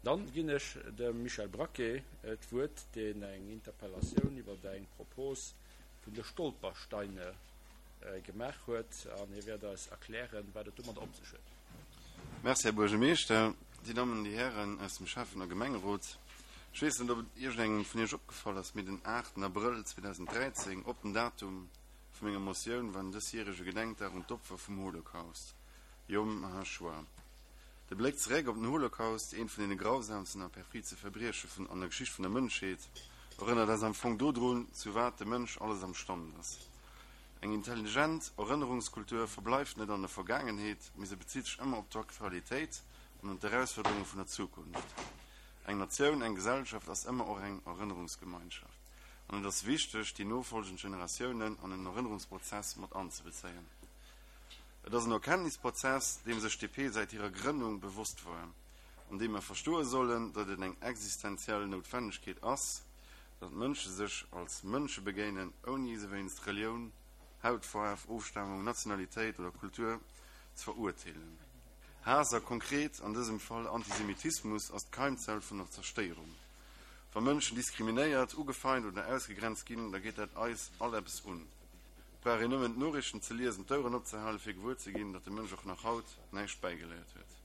Dann ginn ech dem Michel Braquet d'Wuert, deen eng Interpellatioun iwwer eng Propos vun de Stolpersteine gemaach huet, an hie wäert eis erklären, wat et domadder op sech huet. Merci, Här Buergermeeschter, Dir Dammen an Dir Hären aus dem Schäffen a Gemengerot. Ech weess net, ob et iergendengem vun Iech opgefall ass, mee den 8 Abrëll 2013, op den Datum vu menger Motioun, war den dësjärege Gedenkdag un d'Opfer vum Holocaust, Yom HaShoah. De Bléck zeréck op den Holocaust, eent vun deene grausamsten a perfidste Verbrieche vun an der Geschicht vun der Mënschheet, erënnert eis am Fong dodrun, zu wat de Mënsch alles am Stand ass. Eng intelligent Erënnerungskultur verbleift net an der Vergaangenheet, mee se bezitt sech ëmmer op d'Aktualitéit an un d'Erausfuerderunge vun der Zukunft. Eng Natioun, eng Gesellschaft ass ëmmer och eng Erënnerungsgemeinschaft, an et ass wichteg, déi nofolgend Generatiounen an en Erënnerungsprozess mat anzebezéien. Et ass en Erkenntnisprozess, deem sech d'DP säit hirer Grënnung bewosst war, an deem mer verstoe sollen, datt et eng existenziell Noutwennegkeet ass, datt Mënsche sech als Mënsche begéinen, ouni se wéinst Relioun, Hautfaarf, Ofstamung, Nationalitéit oder Kultur ze verurteelen. Haass, a konkret an dësem Fall Antisemitismus, ass d'Keimzell vun der Zerstéierung. Wa Mënschen diskriminéiert, ugefeint oder ausgegrenzt ginn, da geet dat eis all eppes un. Et brauch een nëmmen d'Noriichten ze liesen, d'Oueren opzehalen, fir gewuer ze ginn, datt de Mënsch och nach haut näischt bäigeléiert huet.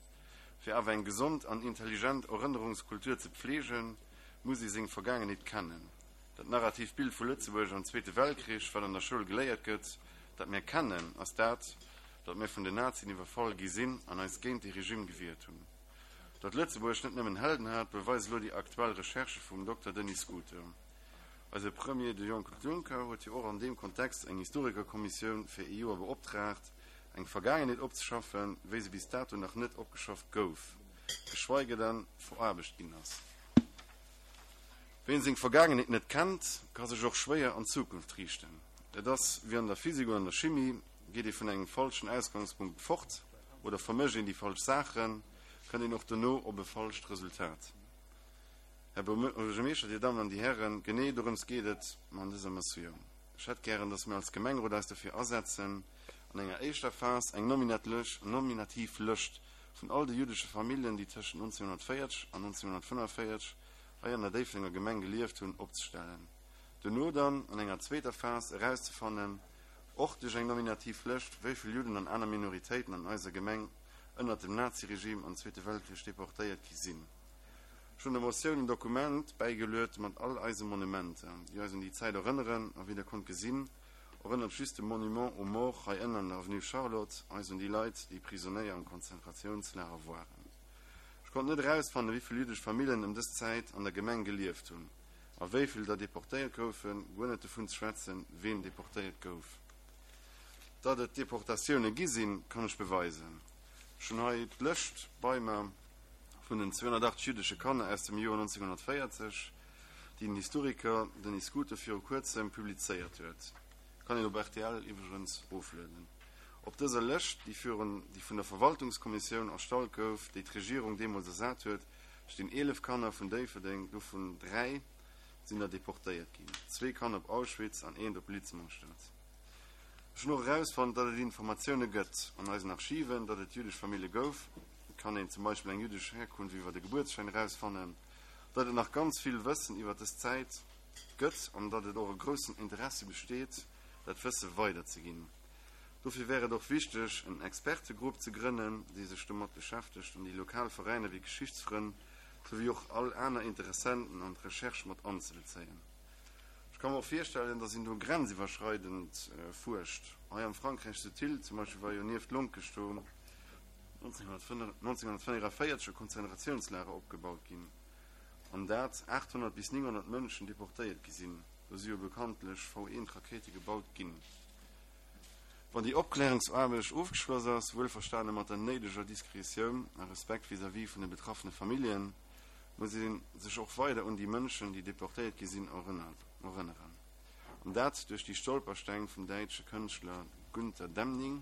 Fir awer eng gesond an intelligent Erënnerungskultur ze pfleegen, muss ee seng Vergaangenheet kennen. Dat narratiivt Bild vu Lëtzebuerg am Zweete Weltkrich, wat an der Schoul geléiert gëtt, dat mir kennen, ass dat, datt mir vun den Nazien iwwerfall gi sinn an eis géint dee Regime gewiert hunn. Datt Lëtzebuerg net nëmmen Helden hat, beweist elo déi aktuell Recherche vum Dokter Denis Scuto. Eise Premier, de Jean-Claude Juncker, huet jo och an deem Kontext eng Historikerkommissioun fir ee Joer beoptraagt, eng Vergaangenheet opzeschaffen, wéi se bis dato nach net opgeschafft gouf, geschweige denn veraarbecht ginn ass. Ween seng Vergaangenheet net kennt, ka sech och schwéier an d'Zukunft riichten. Et ass wéi an der Physik oder an der Chimie, Geet ee vun engem falschen Ausgangspunkt fort oder vermëscht een déi falsch Saachen, kënnt een och dono op e falscht Resultat. Här Buergermeeschter, Dir Dammen an Dir Hären, genee dorëms geet et mer an dëser Motioun. Ech hätt gären, dass mir als Gemengerot eis dofir asetzen, an enger éischter Phas eng nominativ Lëscht vun all de juddesche Familljen, déi tëschent 1940 an 1945 hei an der Déifferdenger Gemeng gelieft hunn, opzestellen. Duerno dann, an enger zweeter Phas, erauszefannen, och duerch eng nominativ Lëscht, wéi vill Judden an aner Minoritéiten an eiser Gemeng ënnert dem Naziregime am Zweete Weltkrich deportéiert gi sinn. Ech hunn der Motioun en Dokument bäigeluet mat all eise Monumenter, déi eis un déi Zäit erënneren. A wéi Der konnt gesinn, erënnert just de Monument aux morts hei ënnen an der Avenue Charlotte eis un déi Leit, déi Prisonéier am Konzentratiounslager waren. Ech konnt net erausfannen, wéi vill jüddesch Famillen ëm dës Zäit an der Gemeng gelieft hunn a wéi vill der deportéiert goufen, guer net dovun ze schwätzen, ween deportéiert gouf. Datt et Deportatioune gi sinn, kann ech beweisen. Ech hunn hei d'Lëscht bei mer. Vun den 280 jüddesche Kanner aus dem Joer 1940, déi den Historiker Denis Scuto viru kuerzem publizéiert huet, kann een op rtl iwwregens oflueden. Op dëser Lëscht, déi virun déi vun der Verwaltungskommissioun erstallt gouf, déi d'Regierung deemools ersat huet, stinn 11 Kanner vun Déifferdeng, dovun 3 sinn der deportéiert ginn, zwee Kanner op Auschwitz an eent op Litzmannstadt. Ech hunn och erausfonnt, datt et Informatioune gëtt an eisen Archiven, datt et jüddesch Famillje gouf, Et kann een zum Beispill eng jüddesch Herkunft iwwer e Gebuertsschäin erausfannen, datt et nach ganz vill Wëssen iwwer dës Zäit gëtt an datt et och e groussen Interessi besteet, dat Wësse weiderzeginn. Dofir wär et och wichteg, en Expertegrupp ze grënnen, dee sech domat beschäftegt an déi lokal Veräiner wéi Geschichtsfrënn souwéi och all aner Interessenten an d'Recherche mat anzebezéien. Ech ka mer och virstellen, datt een do grenziwwerschreidend fuerscht. Hei am Frankräich zu Thil zum Beispill war jo nieft Lonkech do, 1944 e Konzentratiounslager opgebaut ginn, an dat 800 bis 900 Mënschen deportéiert gi sinn. Do si jo bekanntlech V-Eent-Rakéite gebaut ginn. Wann déi Opklärungsaarbecht ofgeschloss ass, wuelverstane mat der néideger Diskretioun a Respekt vis-à-vis vun de betraffene Familljen, muss ee sech och weider un déi Mënschen, déi deportéiert gi sinn, erënneren. An dat duerch déi Stolpersteng vum däitsche Kënschtler Günter Demning,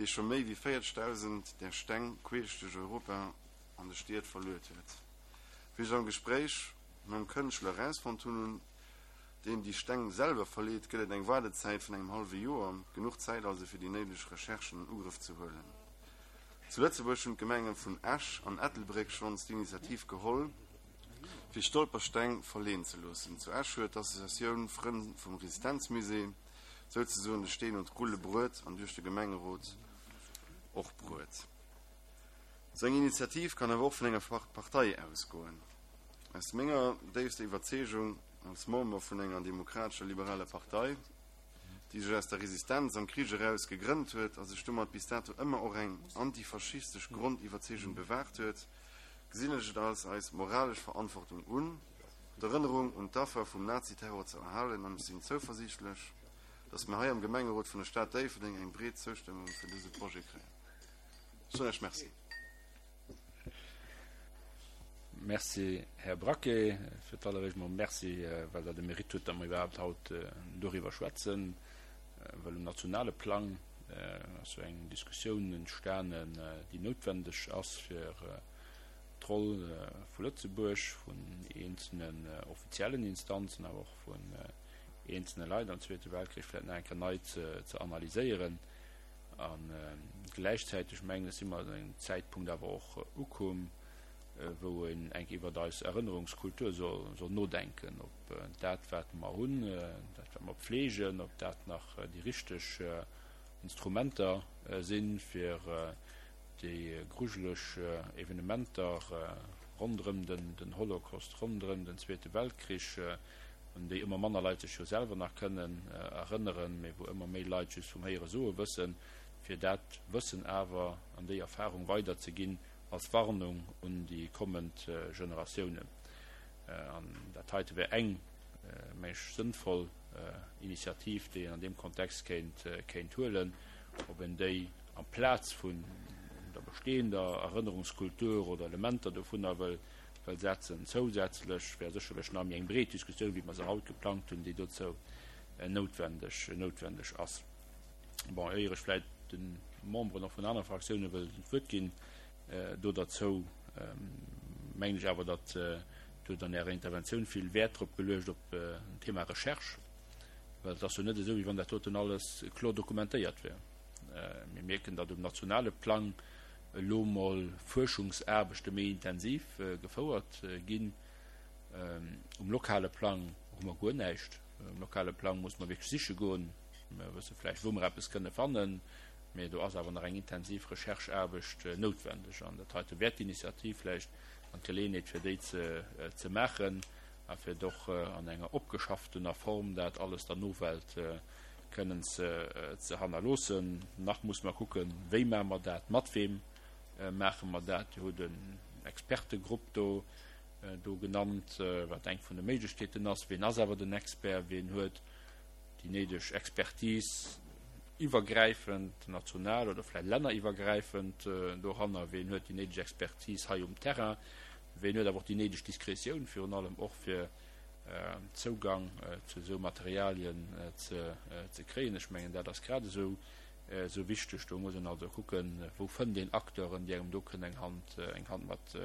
dee scho méi wéi 40.000 där Steng queesch duerch Europa an de Stied verluet huet. Wéi ech am Gespréich mam Kënschtler erausfonnt hunn, deen déi Steng selwer verleet, gëtt et eng Waardezäit vun engem hallwe Joer, genuch Zäit also fir déi néideg Recherchen an Ugrëff ze huelen. Zu Lëtzebuerg hunn d'Gemenge vun Esch an Ettelbréck schonns d'Initiativ geholl, fir Stolpersteng verleeën ze loossen. Zu Esch huet d'Associatioun Frënn vum Resistenzmusée souzesoen de Steen un d'Rulle bruet an duerch de Gemengerot och bruet. Sou eng Initiativ kann awer och vun enger Partei ausgoen. Aus menger déifster Iwwerzeegung als Member vun enger demokratescher liberaler Partei, déi sech aus der Resistenz am Krich eraus gegrënnt huet a sech domat bis dato ëmmer och eng antifaschistesch Grondiwwerzeegung bewahrt huet, gesinn ech et als eis moralesch Verantwortung un, d'Erënnerung un d'Affer vum Naziterror ze erhalen an ech sinn zouversiichtlech, dass mir hei am Gemengerot vun der Stad Déifferdeng eng breet Zoustëmmung fir dëse Projet kréien. Ech soen Iech Merci. Merci, Här Braquet. Fir d'alleréischt mol Merci, well Der de Mérite hutt, datt mer iwwerhaapt haut doriwwer schwätzen, well um nationale Plang ass jo eng Diskussioun entstanen, déi noutwendeg ass, fir d'Roll vu Lëtzebuerg, vun eenzelnen offiziellen Instanzen, awer och vun eenzelne Leit am Zweete Weltkrich vläicht nach eng Kéier nei ze analyséieren. A gläichzäiteg, mengen ech, si mer un engem Zäitpunkt awer och ukomm, wou een enk iwwert eis Erënnerungskultur soll nodenken, ob dat, wat mer hunn, dat, wat mer pflegen, ob dat nach déi richteg Instrumenter sinn, fir déi grujeleg Evenementer ronderëm den Holocaust, ronderëm den Zweete Weltkrich, un déi ëmmer manner Leit sech jo selwer nach kënnen erënneren, mee wou ëmmer méi Leit just vum Héiere soe wëssen, fir dat Wëssen awer an déi Erfahrung weiderzeginn als Warnung un déi kommend Generatiounen. An dat heite wär eng, meng ech, sënnvoll Initiativ, déi een an deem Kontext kéint, kéint huelen. Ob een déi amplaz vun der bestehender Erënnerungskultur oder Elementer dovunner wëll, wëll setzen. Zousätzlech wär sécherlech nach méi eng breet Diskussioun, wéi mer se haut geplangt hunn, déi dozou noutwendeg, noutwendeg ass. Bon, éier ech vläicht de Memberen och vun anere Fraktioune wëll d'Wuert ginn do derzou, mengen ech awer, datt Dir hutt an Ärer Interventioun vill Wäert drop geluecht op den Thema Recherche, well et ass jo net esou, wéi wann dat doten alles kloer dokumentéiert wär. Mir mierken, datt um nationale Plang elo mol Fuerschungsaarbechte méi intensiv gefouert ginn. Um lokale Plang hu mer guer näischt. Um lokale Plang muss mer wierklech siche goen. Mer wësse vläicht, wou mer eppes kënne fannen, mee do ass awer nach eng intensiv Rechercheaarbecht noutwendeg. An dat heite wär d'Initiativ vläicht an d'Geleeënheet, fir déi ze maachen a fir et och an enger opgeschafftener Form dat alles der Nowelt kënnen ze hannerloossen. Nach muss mer kucken, wéi maache mer dat, mat weem maache mer dat. Dir hutt en Expertegrupp do do genannt, wat eng vun de Méiglechkeeten ass. Ween ass awer den Expert? Ween huet déi néideg Expertise iwwergräifend, national oder vläicht länneriwwergräifend doranner? Ween huet déi néideg Expertise hei um Terrain? Ween huet awer och déi néideg Diskretioun, virun allem och fir Zougang zu esou Materialien ze kréien. Ech mengen, dat ass grad esou wichteg. Do muss een also kucken, wou fënnt een Acteuren, déi engem do kënnen eng Hand, eng Hand mat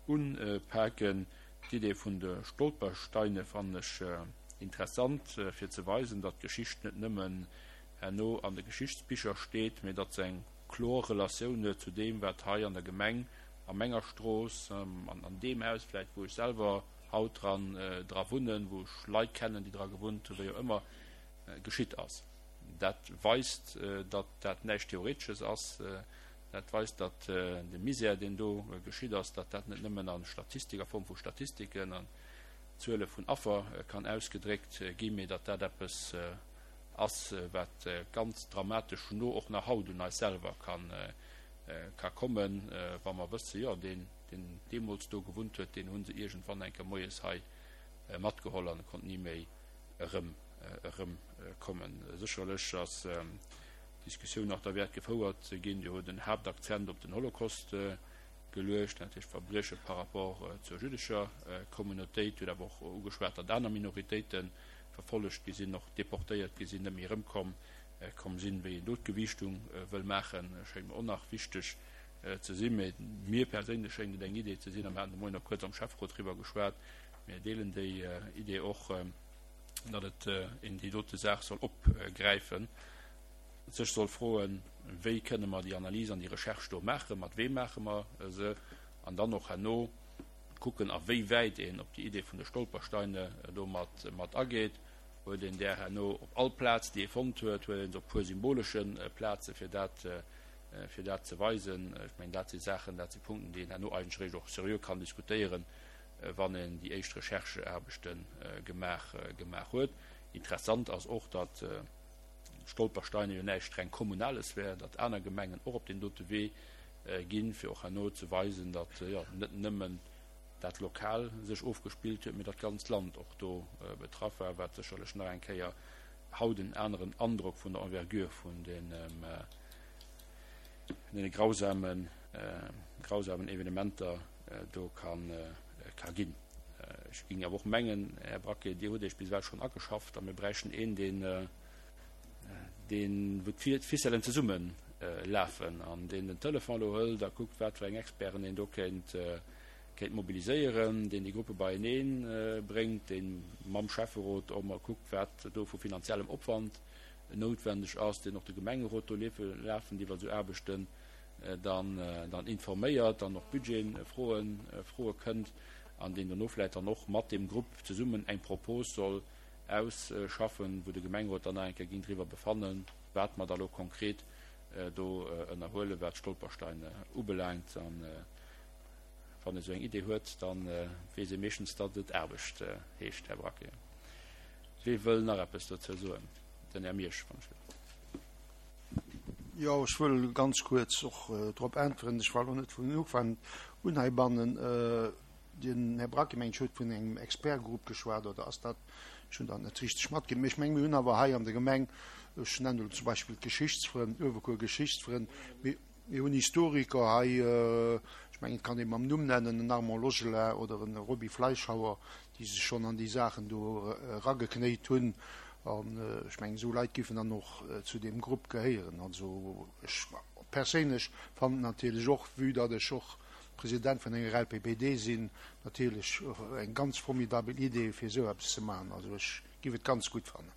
unpaken. D'Idee vun de Stolpersteine fannen ech interessant, fir ze weisen, datt d'Geschicht net nëmmen herno an de Geschichtsbicher steet, mee datt se eng kloer Relatioun huet zu deem, wat hei an der Gemeng, a menger Strooss, an deem Haus vläicht, wou ech selwer haut dran dra wunnen, wou ech Leit kennen, déi dra gewunnt hunn, wéi och ëmmer, geschitt ass. Dat weist, datt dat näischt Theoretesches ass. Dat weist, datt de Misär, deen do geschitt ass, datt dat net nëmmen a Statistik, a Form vu Statistiken an Zuele vun Affer kann ausgedréckt ginn, mee datt dat eppes ass, wat ganz dramatesch no och nach haut un eis selwer ka kommen, wa mer wëssen, jo, deen, deen deemools do gewunnt huet, deen hu se iergendwann eng Kéier moies hei matgeholl an e konnt ni méi erëm erëmkommen. Sécherlech ass d'Diskussioun nach derwäert gefouert ze ginn. Dir hutt en Haaptakzent op den Holocaust geluecht, natierlech d'Verbrieche par rapport zur jüddescher Communautéit. Dir hutt awer och ugeschwat, datt aner Minoritéite verfollegt gi sinn, och deportéiert gi sinn, net méi erëmkomm komm sinn. Wéi een do d'Gewiichtung wëll maachen, schéngt mer och nach wichteg ze sinn. Mee mir perséinlech schéngt et eng Idee ze sinn, a mir haten de Moien och kuerz am Schäfferot driwwer geschwat, mir deelen déi Idee och, datt et een déi dote Saach soll opgräifen. sech soll froen, wéi kënne mer déi Analys an déi Recherche do maachen, mat weem maache mer se, an dann och herno kucken, a wéi wäit een op déi Idee vun de Stolpersteine do mat, mat ageet. Huet een där herno op all Plaz, déi ee fonnt huet, huet een se op e puer symbolesche Plaze fir dat, fir dat ze weisen. Ech mengen, dat si Saachen, dat si Punkten, déi een herno eigentlech eréischt och seriö kann diskutéieren, wann een déi éischt Rechercheaarbechte gemaach, gemaach huet. Interessant ass och, datt Stolpersteine jo näischt reng Kommunales wär, datt aner Gemengen och op deen dote Wee ginn, fir och herno ze weisen, datt jo net nëmmen dat lokal sech ofgespillt huet, mee datt d'ganzt Land och do betraff war, wat sécherlech nach eng Kéier haut en aneren Androck vun der Envergure vun deene grausamen, grausamen Evenementer do ka ginn. Ech géing awer och mengen, Här Braquet, Dir hutt Iech bis ewell schonn ageschafft a mir bräichten een, deen, deen, wou d'Ficellen zesumme lafen an deen den Telefon elo hëlt a kuckt, wat fir eng Experten een do kéint, kéint mobiliséieren, deen déi Gruppe beienee bréngt, dee mam Schäfferot och mol kuckt, wat do vu finanziellem Opwand noutwendeg ass, deen och de Gemengerot do lafend iwwer esou Aarbechten dann, dann informéiert, dann och Budgetfroen, froe kënnt an deen dono vläicht dann och mat deem Grupp zesummen eng Propos soll ausschaffen, wou de Gemengerot dann nach eng Kéier géing driwwer befannen, wat mer da lo konkret do ënnerhuelen, wat d'Stolpersteine ubelaangt. An wann ee sou eng Idee huet, da weess ee meeschtens, datt et Aarbecht heescht, Här Braquet. Wee wëll nach eppes dozou soen? Den Här Miersch, wann ech wëll. Jo, ech wëll ganz kuerz och drop äntweren. Ech war elo net vun Ufank un heibannen. Den Här Braquet, meng ech, huet vun engem Expertgrupp geschwat, oder ass dat, ech hunn dat net richteg matkritt, mee ech meng, mir hunn awer hei an der Gemeng, ech nennen elo zum Beispill d'Geschichtsfrënn, d'Uewerkuer Geschichtsfrënn, mir, mir hunn Historiker hei, ech mengen, et kann ee mam Numm nennen, en Armand Logelin oder en Roby Fleischhauer, déi sech schonn an déi Saachen do erageknéit hunn. An ech mengen, esou Leit géifen dann och zu deem Grupp gehéieren. Also ech perséinlech fannen natierlech och, vue datt ech och President vun enger LPPD sinn, natierlech eng ganz formidabel Idee, fir esou eppes ze maachen. Also ech géif et ganz gutt fannen.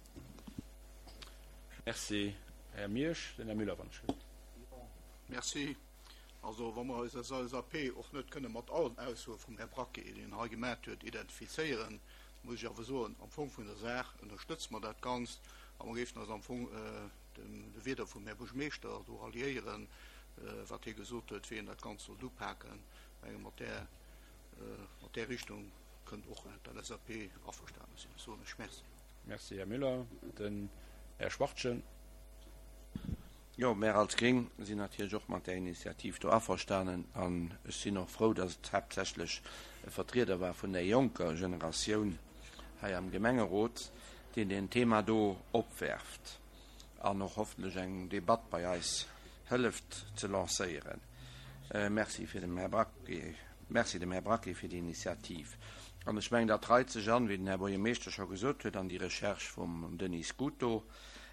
Merci, Här Miersch. Den Här Müller, wann ech. Merci. Also wa mer eis als LSAP och net kënne mat allen Aussoe vum Här Braquet, déi en hei gemat huet, identifizéieren, muss ech awer soen, am Fong vun der Saach ënnerstëtze mer dat Ganzt a mer géifen eis am Fong de Wieder vum Här Buergermeeschter do ralliéieren, wat hie gesot huet, wéi een dat Ganzt sollt upaken. Ech menge mat där, mat där Richtung kënnt och d'LSAP averstane sinn. Soen ech Merci. Merci, Här Müller. Den Här Schwachtgen. Jo, mär als Gréng sinn natierlech och mat där Initiativ do averstanen an ech sinn och frou, dass et haaptsächlech e Vertrieder war vun där jonker Generatioun hei am Gemengerot, deen deen Thema do opwerft an och hoffentlech eng Debatt bei eis hëlleft ze lancéieren. Merci fir dem Här Braquet, merci dem Här Braquet fir déi Initiativ. An ech mengen, dat reit sech an, wéi den Här Buergermeeschter scho gesot huet, an déi Recherche vum Denis Scuto,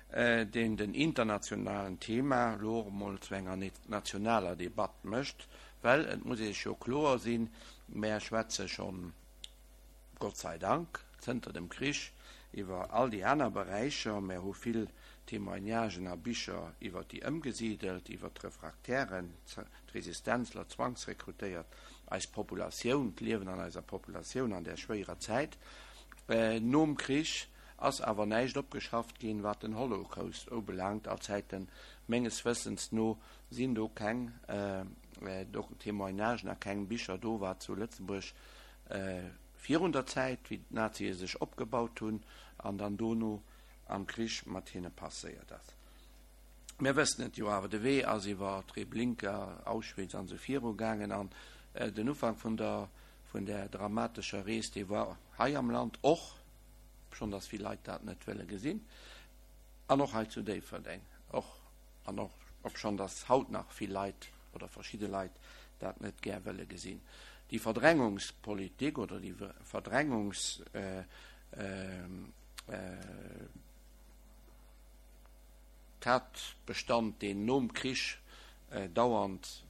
deen den internationalen Thema elo och emol zu enger nationaler Debatt mécht, well et muss ee sech jo kloer sinn, mär schwätze schonn, Gott sei Dank, zënter dem Krich iwwer all déi aner Beräicher, mär hu vill Témoignagen a Bicher iwwer déi Ëmgesidelt, iwwer d'Refraktären, d'Resistenzler, d'Zwangsrekrutéiert, eis Populatioun, d'Liewen an eiser Populatioun an där schwéierer Zäit nom Krich. Ass awer näischt opgeschafft ginn, wat den Holocaust ubelaangt. Allzäiten, menges Wëssens no, sinn do keng Témoignagen a keng Bicher do, wat zu Lëtzebuerg virun der Zäit, wéi d'Nazie sech opgebaut hunn, an dann dono am Krich mat hinne passéiert ass. Mir wëssen et jo awer, de Wee ass iwwer Treblinka, Auschwitz an esou viru gaangen an den Ufank vun der, vun där dramatescher Rees, dee war hei am Land och, obschonn dass vill Leit dat net wëlle gesinn, an och hei zu Déifferdeng och, an och obschonn dass haut nach vill Leit oder verschidde Leit dat net gär wëlle gesinn. Déi Verdrängungspolitik oder déi Verdrängungs Tatbestand, deen nom Krich dauernd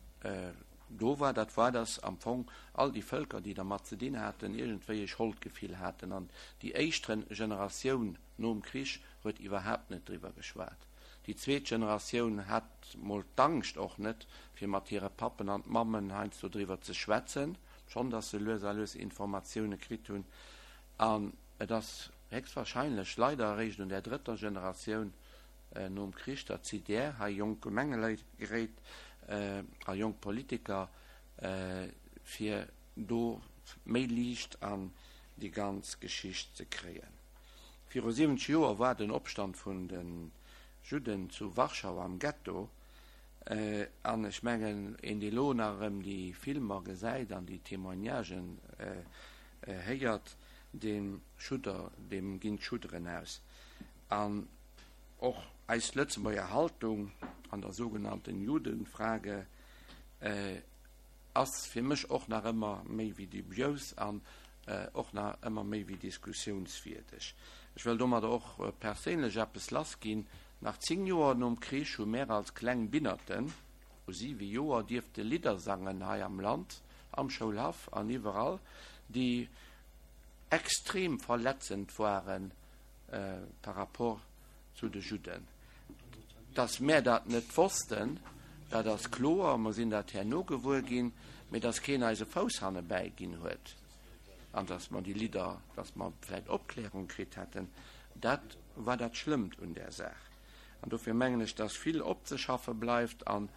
do war, dat war, dass am Fong all déi Vëlker, déi dermat ze dinn haten, iergendwéi e Scholdgefill haten. An déi éischt Generatioun nom Krich huet iwwerhaapt net driwwer geschwat. Déi zweet Generatioun hat mol d'Angscht och net, fir mat hire Pappen an Mammen heiansdo driwwer ze schwätzen, schonn datt se lues a lues Informatioune kritt hunn. An et ass héchstwahrscheinlech leider eréischt un där drëtter Generatioun nom Krich, datt si där hei jonk Gemengeleit geréit a jonk Politiker, fir do méi Liicht an déi ganz Geschicht ze kréien. Viru 70 Joer war den Opstand vun de Judden zu Warschau am Ghetto, an ech mengen, een dee lo nach erëm déi Filmer gesäit an déi Témoignagen héiert, deem Schudder, deem ginn d'Schudderen aus. An och eis Lëtzebuerger Haltung an der sougenannten Judenfrage ass fir mech och nach ëmmer méi wéi dubious an och nach ëmmer méi wéi diskussiounswierdeg. Ech wëll domadder och perséinlech eppes lassginn, Nach 10 Joer nom Krich hu mär als kleng Binnerten u 7 Joer dierfte Lidder sangen hei am Land, am Schoulhaff an iwwerall, déi extrem verletzend ware par rapport zu de Judden. Dass mär dat net wossten, dat ass kloer, mer sinn dat herno gewuer ginn, mee dass keen eis e Fouss hannebäi ginn huet an dass mer déi Lidder, dass mer vläicht Opklärung kritt hätten, dat war dat Schlëmmt un där Saach. An dofir mengen ech, dass vill opzeschaffe bleift an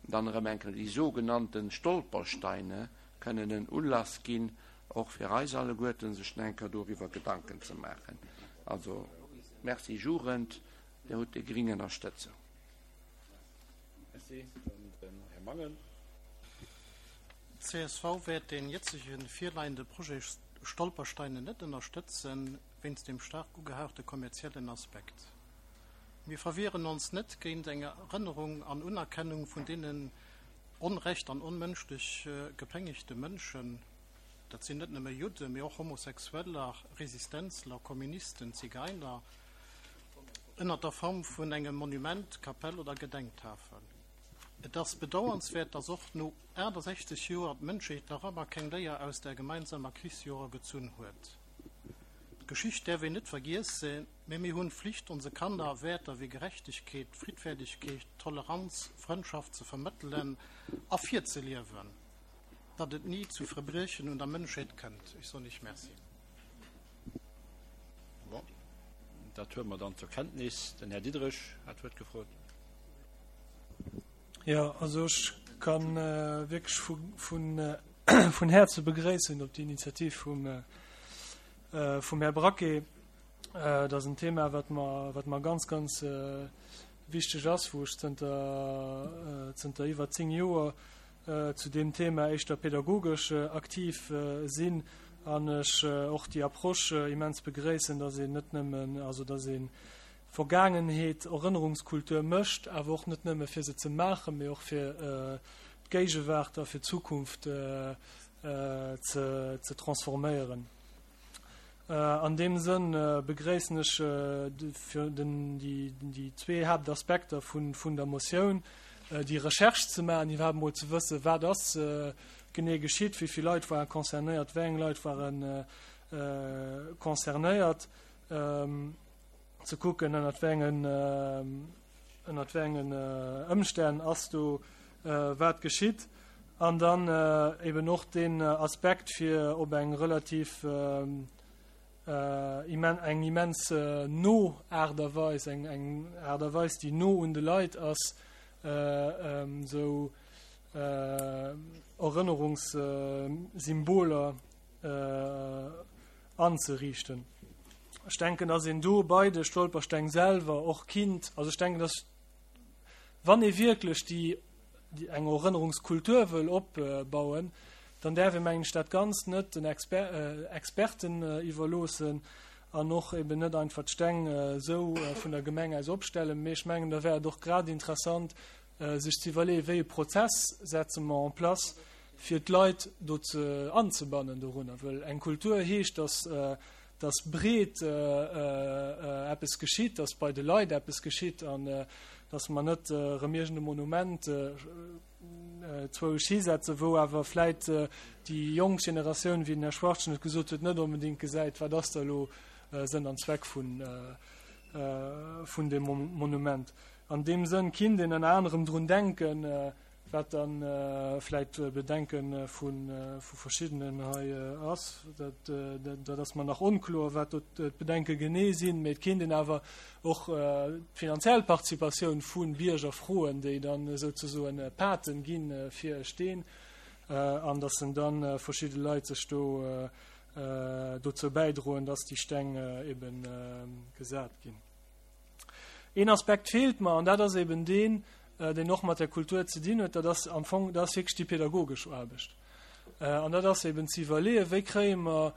dann erëm eng Kéier déi sogenannte Stolpersteine kënnen en Ulass ginn, och fir eis alleguerten, sech nach eng Kéier doriwwer Gedanken ze maachen. Also, Merci Jugend, Dir hutt déi gring Ënnerstëtzung. Merci. Dann den Här Mangen. D'CSV wäert dee jëtzege virleiende Projet Stolpersteine net ënnerstëtzen, wéinst dem staark ugehauchte kommerziellen Aspekt. Mir verwieren ons net géint eng Erënnerung an Unerkennung vun deenen onrecht an onmënschlech gepéngegte Mënschen, dat sinn net nëmme Judden, mee och Homosexueller, Resistenzler, Kommunisten, Zigeiner, ënnert der Form vun engem Monument, Kapell oder Gedenktafel. Et ass bedauernswäert, dass och no 68 Joer d'Mënschheet nach ëmmer keng Léier aus der gemeinsamer Krichsjorer gezunn huet. D'Geschicht däerf een net vergiessen, mee mir hunn d'Flicht onse Kanner Wäerter wéi Gerechtegkeet, Friddfäerdegkeet, Toleranz, Frëndschaft ze vermëttelen a virzeliewen, datt et ni zu Verbriechen un der Mënschheet kënnt. Ech soen Iech Merci. Bon, dat huele mer dann zur Kenntnis. Den Här Diderich hat d'Wuert gefrot. Jo, also ech ka wierklech vun Häerze begréissen op déi Initiativ vum Här Braquet. Dat ass en Thema, wat mer, wat mer ganz, ganz wichteg ass, wou ech zënter, zënter iwwer 10 Joer zu deem Thema éischter pädagogesch aktiv sinn an ech och déi Approche immens begréissen, dass een net nëmmen, also dass ee Vergaangenheet, Erënnerungskultur mécht, awer och net nëmme fir se ze maachen, mee och fir d'Géigewaart a fir d'Zukunft ze transforméieren. An deem Sënn begréissen ech déi zwee Haaptaspekter vun der Motioun, déi Recherche ze maachen, iwwerhaapt emol ze wëssen, wat ass genee geschitt, wéi vill Leit ware concernéiert, wéi eng Leit ware concernéiert, ze kucken, ënnert wéi engen, ënnert wéi engen Ëmstänn ass do wat geschitt. An dann eben och deen Aspekt, fir op eng relativ eng immens no Aart a Weis, eng eng Aart a Weis, déi no un de Leit ass, esou Erënnerungssymboler anzeriichten. Ech denken, dass een do bei de Stolpersteng selwer och kinnt, also ech denken, dass wann ee wierklech déi eng Erënnerungskultur wëll opbauen, dann däerf ee mengen ech dat Ganzt net den Experten iwwerloossen an och eben net einfach d'Steng esou vun der Gemeng aus opstellen. Mee ech mengen, da wär et och grad interessant, sech ze iwwerleeën, wéi e Prozess setze mer en place, fir d'Leit do ze anzebannen dorunner. Well eng Kultur heescht, dass dass breet eppes geschitt, dass bei de Leit eppes geschitt an dass mer net erëm iergend e Monument zwousch hisetzen, wou awer vläit déi jonk Generatioun, wéi den Här Schwachtgen et gesot huet, net onbedéngt gesäit, wat ass da elo Sënn an Zweck vun deem Monument. An deem Sënn kinnt een ënner anerem drun denken, wat dann vläit Bedenke vu verschiddenen hei ass, dat ass mer nach onkloer, wat do d'Bedenke genee sinn, mee et kinnt een awer och d'finanziell Participatioun vu Bierger froen, déi dann esouzesoen Paten gi fir e Steen, an datt en dann verschidde Leit sech do dozou bäidroen, datt déi Steng ebe gesat ginn. Een Aspekt feelt mer, an dat ass eben deen, deen och mat der Kultur ze dinn huet, dat ass am Fong, dat ass wierklech déi pädagogesch Aarbecht. An dat ass eben ze iwwerleeën, wéi kréie mer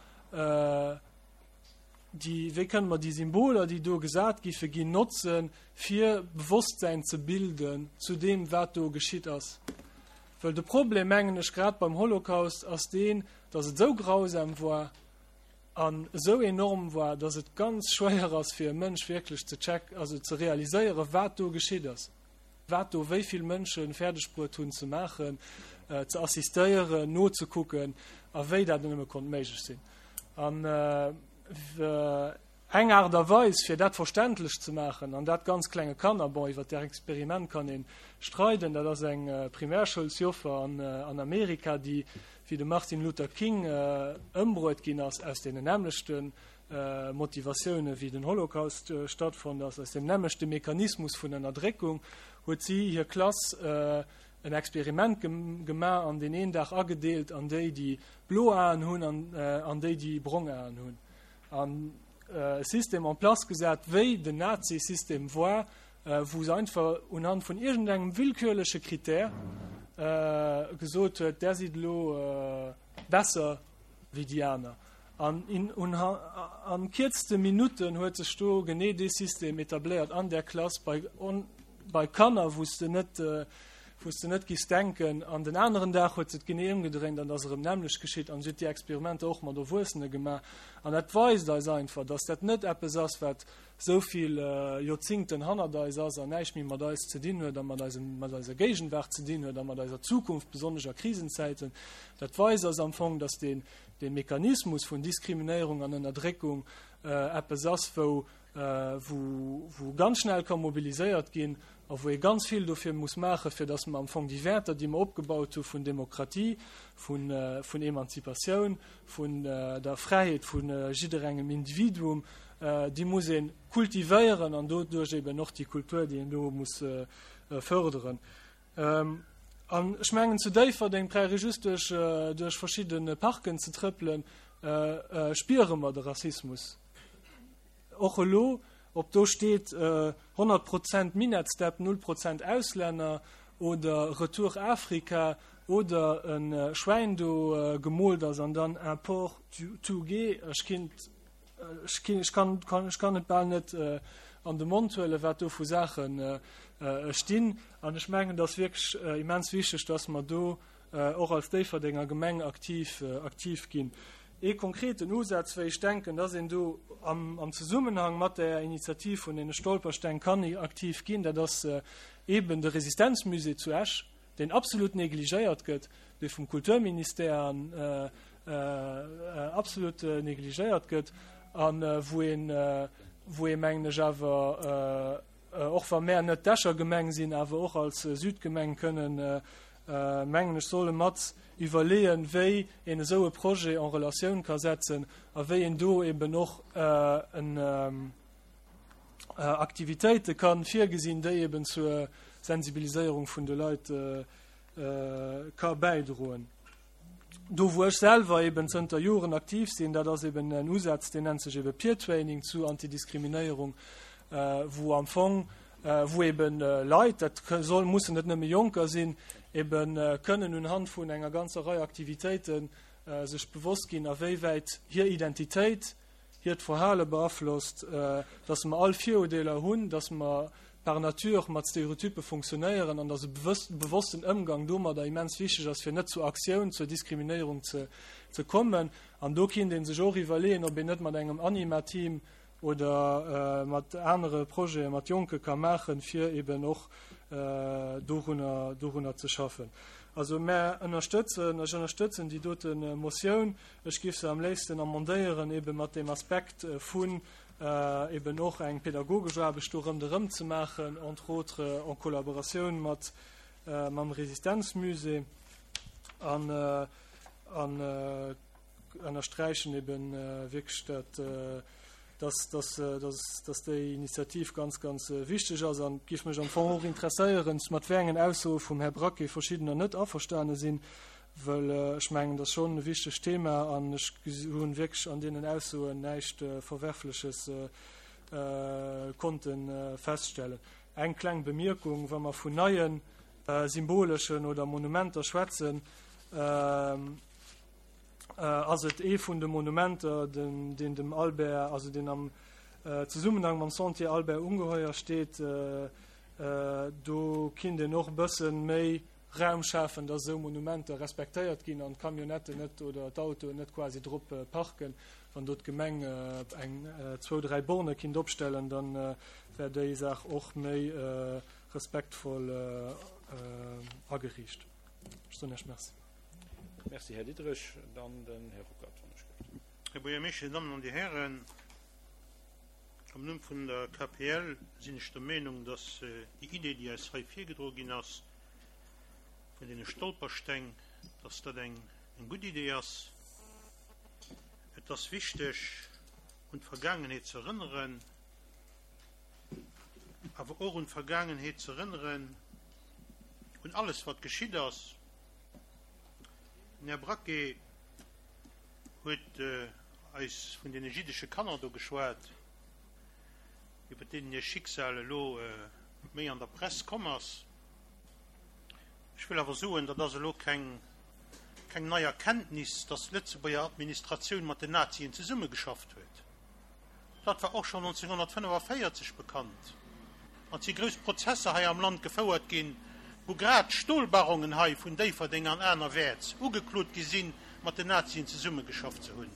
déi, wéi kënne mer déi Symboler, déi do gesat giffe ginn, notzen, fir Bewosstsäin ze bilden zu deem, wat do geschitt ass. Well de Problem, mengen ech, grad beim Holocaust ass deen, datt et esou grausam war, an esou enorm war, dass et ganz schwéier ass fir e Mënsch wierklech ze check, also ze realiséieren, wat do geschitt ass, wat do wéi vill Mënsche fäerdeg bruet hunn ze maachen, ze assistéieren, nozekucken a wéi dat nëmme konnt méiglech sinn. An eng Aart a Weis fir dat verständlech ze maachen, an dat ganz klenge Kanner, bon iwwer där Experiment kann ee streiden, dat ass eng Primärschoulsjoffer an Amerika, déi wéi de Martin Luther King ëmbruet ginn ass, aus deenen nämmlechte Motivatioune wéi den Holocaust stattfonnt ass, aus deem nämmlechte Mechanismus vun Ënnerdréckung, huet si hir Klass en Experiment gemaach an deen een Dag agedeelt an déi, déi blo Aen hunn an déi, déi brong Aen hunn. An e System en place gesat, wéi den Nazi-System war, wou se einfach unhand vun iergendengem willkürleche Critère gesot huet, där sidd elo besser wéi déi aner. An an kierzte Minutten huet sech do genee dee System etabléiert an där Klass bei, bei Kanner, wou s de net, wou s de net giffs denken. An den aneren Dag huet se et genee ëmgedréint an et ass erëm d'nämmlecht geschitt. An si huet déi Experimenter och mat Erwuessene gemaach. An dat weist eis einfach, dass dat net eppes ass, wat esou vill Joerzingten hannert eis ass an näischt méi mat eis ze dinn huet a mat eisem, mat eiser Géigenwaart ze dinn huet a mat eiser Zukunft, besonnesch a Krisenzäiten, dat weist eis am Fong, dass deen, dee Mechanismus vun Diskriminéierung an Ënnerdréckung eppes ass, wou, wou, wou ganz schnell ka mobiliséiert ginn a wou ee ganz vill dofir muss maachen, fir dass mer am Fong déi Wäerter, déi mer opgebaut hu vun Demokratie, vun, vun Emanzipatioun, vun der Fräiheet vu jidderengem Individuum, déi muss ee kultivéieren an doduerch eben och déi Kultur, déi een do muss förderen. An ech mengen, zu Déifferdeng brauch ee just duerch, duerch verschidde Parken ze trëppelen, spiere mer de Rassismus och elo, ob do steet 100 Prozent Minettsdepp, null Prozent Auslänner oder Retour Afrika oder e Schwäin do gemoolt ass an dann un porc tout gay. Ech kinnt Ech kann, ech kann et bal net an de Mond huelen, wat do vu Saache stinn. An ech mengen, et ass wierklech immens wichteg, dass mer do och als Déifferdenger Gemeng aktiv, aktiv ginn. Ee konkreten Usaz, wéi ech denken, dass een do am, am Zesummenhang mat där Initiativ vun deene Stolpersteng kann aktiv ginn, dat ass eeben de Resistenzmusée zu Esch. deen absolut negligéiert gëtt, dee vum Kulturministère absolut negligéiert gëtt a wou een, wou ee mengen ech awer, och wa mär net d'Escher Gemeng sinn, awer och als Südgemeng kënnen, mengen ech, solle mat iwwerleeën, wéi een esou e Projet en Relatioun ka setzen a wéi een do eben och en, Aktivitéite kann virgesinn, déi eben zur Sensibiliséierung vun de Leit ka bäidroen. Do wou ech selwer eben zënter Joren aktiv sinn, dat ass eben en Usaz, deen nennt sech eben Peer Training zu Antidiskriminéierung, wou am Fong, wou eben Leit, dat soll, mussen net nëmme Jonker sinn, eben kënnen unhand vun enger ganzer Rei Aktivitéiten sech bewosst ginn, a wéi wäit hir Identitéit, hiert Verhale beaflosst, dass mer all Virurdeeler hunn, dass mer par nature mat Stereotyppe funktionéieren an dass e bewossten Ëmgang domadder immens wichteg ass, fir net zur Aktioun, zur Diskriminéierung ze kommen. An do kinnt ee sech och iwwerleeën, ob een net mat engem Anima-Team oder mat anere Projete mat Jonke ka maachen, fir eben och dorunner, dorunner ze schaffen. Also mär ënnerstëtzen, ech ënnerstëtzen déi dote Motioun. Ech géif se am léifsten amendéieren, ebe mat deem Aspekt vun Eben och eng pädagogesch Aarbecht do rëmderëm ze maachen, entre autres en Kollaboratioun mat mam Resistenzmusée an an ënnersträichen eben wierklech dat, dass dass dass dass déi Initiativ ganz ganz wichteg ass an et géif mech am Fong och interesséieren, mat wéi engen Aussoe vum Här Braquet verschiddener net averstane sinn, Well ech mengen, dat ass schonn e wichtegt Thema an ech hu wierklech an deenen Aussoen näischt Verwerfleches konnte feststellen. Eng kleng Bemierkung, Wa mer vun neie symboleschen oder Monumenter schwätzen, ass et ee vun de Monumenter, deen dem Albert, also deen am Zesummenhang mam Sentier Albert Ungeheuer steet. Do kinnt een och e bësse méi Raum schafen, dass esou Monumenter respektéiert ginn an d'Camionnetten net oder d'Autoen net quasi drop parken. Wann do d'Gemeng eng, zwou, dräi Borne kinnt opstellen, da wär déi Saach och méi respektvoll ageriicht. Ech soen Iech Merci. Merci, Här Diderich. Dann den Här Ruckert, wann ech gëtt. Här Buergermeeschter, Dir Dammen an Dir Hären, am Numm vun der KPL sinn ech der Meenung, dass déi Idee, déi eis hei virgedroe ginn ass, vun deene Stolpersteng, dass dat eng gutt Idee ass. Et ass wichteg, un d'Vergaangenheet ze erënneren, awer och un d'Vergaangenheet ze erënneren, un alles, wat geschitt ass. Den Här Braquet huet eis vun deene jiddesche Kanner do geschwat, iwwer deenen hir Schicksal elo méi an der Press komm ass. Ech wëll awer soen, dat ass elo keng, keng nei Erkenntnis, dass d'Lëtzebuerger Administratioun mat den Nazien zesummegeschafft huet. Dat war och schonn 1945 bekannt. An et si grouss Prozesser hei am Land gefouert ginn, wou grad d'Stolbarongen hei vun Déifferdeng an anerwäerts ugeklot gi sinn, mat den Nazien zesummegeschafft ze hunn.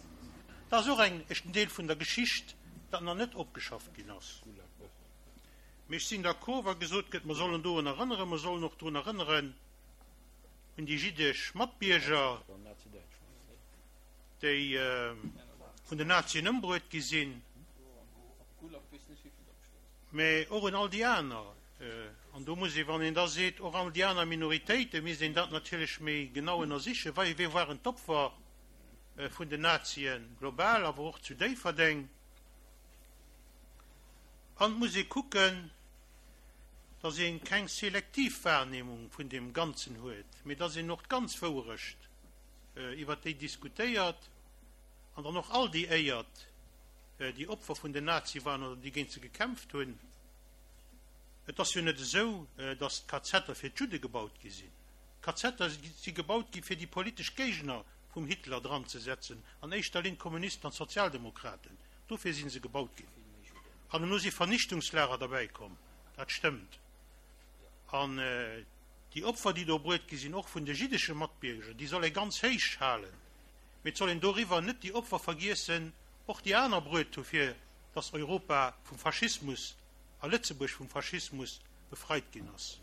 Dat ass och eng, en Deel vun der Geschicht, dat nach net opgeschafft ginn ass. Mee ech sinn d'accord, wa gesot gëtt, mer sollen dorun erënneren, mer sollen och drun erënneren un déi jiddesch Matbierger, déi vun den Nazien ëmbruet gi sinn, mä och un all déi aner. An do muss ee, wann een da seet, och all déi aner Minoritéiten, misst een dat natierlech méi genau ënnersichen, Wie waren d'Opfer vun den Nazien global, awer och zu Déifferdeng? An et muss ee kucken, dass ee keng selektiv Wahrnehmung vun deem Ganzen huet, mee dass een och d'ganz Wouerecht iwwert déi diskutéiert an dann och all déi éiert, déi Opfer vun den Nazie waren oder déi géint se gekämpft hunn. Et ass jo net esou, dass d'Kazetter fir d'Judde gebaut gi sinn. D'Kazetter si gebaut gi fir déi politesch Géigner vum Hitler dranzesetzen, an éischter Linn d'Kommunisten an d'Sozialdemokraten. Dofir si se gebaut ginn. An elo si Vernichtungslager derbäi komm, dat stëmmt. An déi Opfer, déi do bruet gi sinn, och vun de jiddesche Matbierger, déi soll ee ganz héich halen. Mee et soll een doriwwer net déi Opfer vergiessen, och déi aner bruet hu fir datt Europa vum Faschismus a Lëtzebuerg vum Faschismus befreit ginn ass.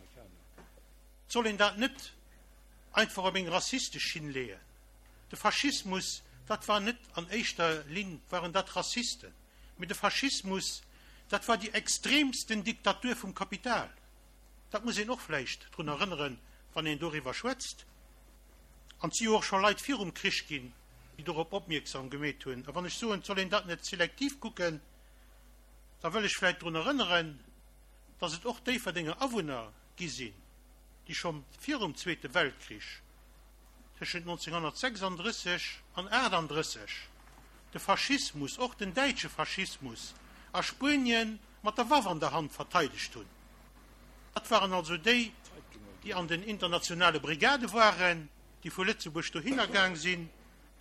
Et soll een dat net einfach op eng rassistesch Schinn leeën. De Faschismus, dat war net an éischter Linn waren dat Rassisten, mee de Faschismus, dat war déi extremsten Diktatur vum Kapital. Dat muss een och vläicht drun erënneren, wann een doriwwer schwätzt. An et si jo och scho Leit virum Krich ginn, déi dorop opmierksam gemeet hunn. A wann ech soen, et soll een dat net selektiv kucken, da wëll ech vläicht drun erënneren, datt et och Déifferdenger Awunner gi sinn, déi scho virum Zweete Weltkrich, tëschent 1936 an 38, de Faschismus, och den däitsche Faschismus, a Spuenien mat der Waff an der Hand verteidegt hunn. Dat waren also déi, déi an den internationale Brigade waren, déi vu Lëtzebuerg dohinner gaang sinn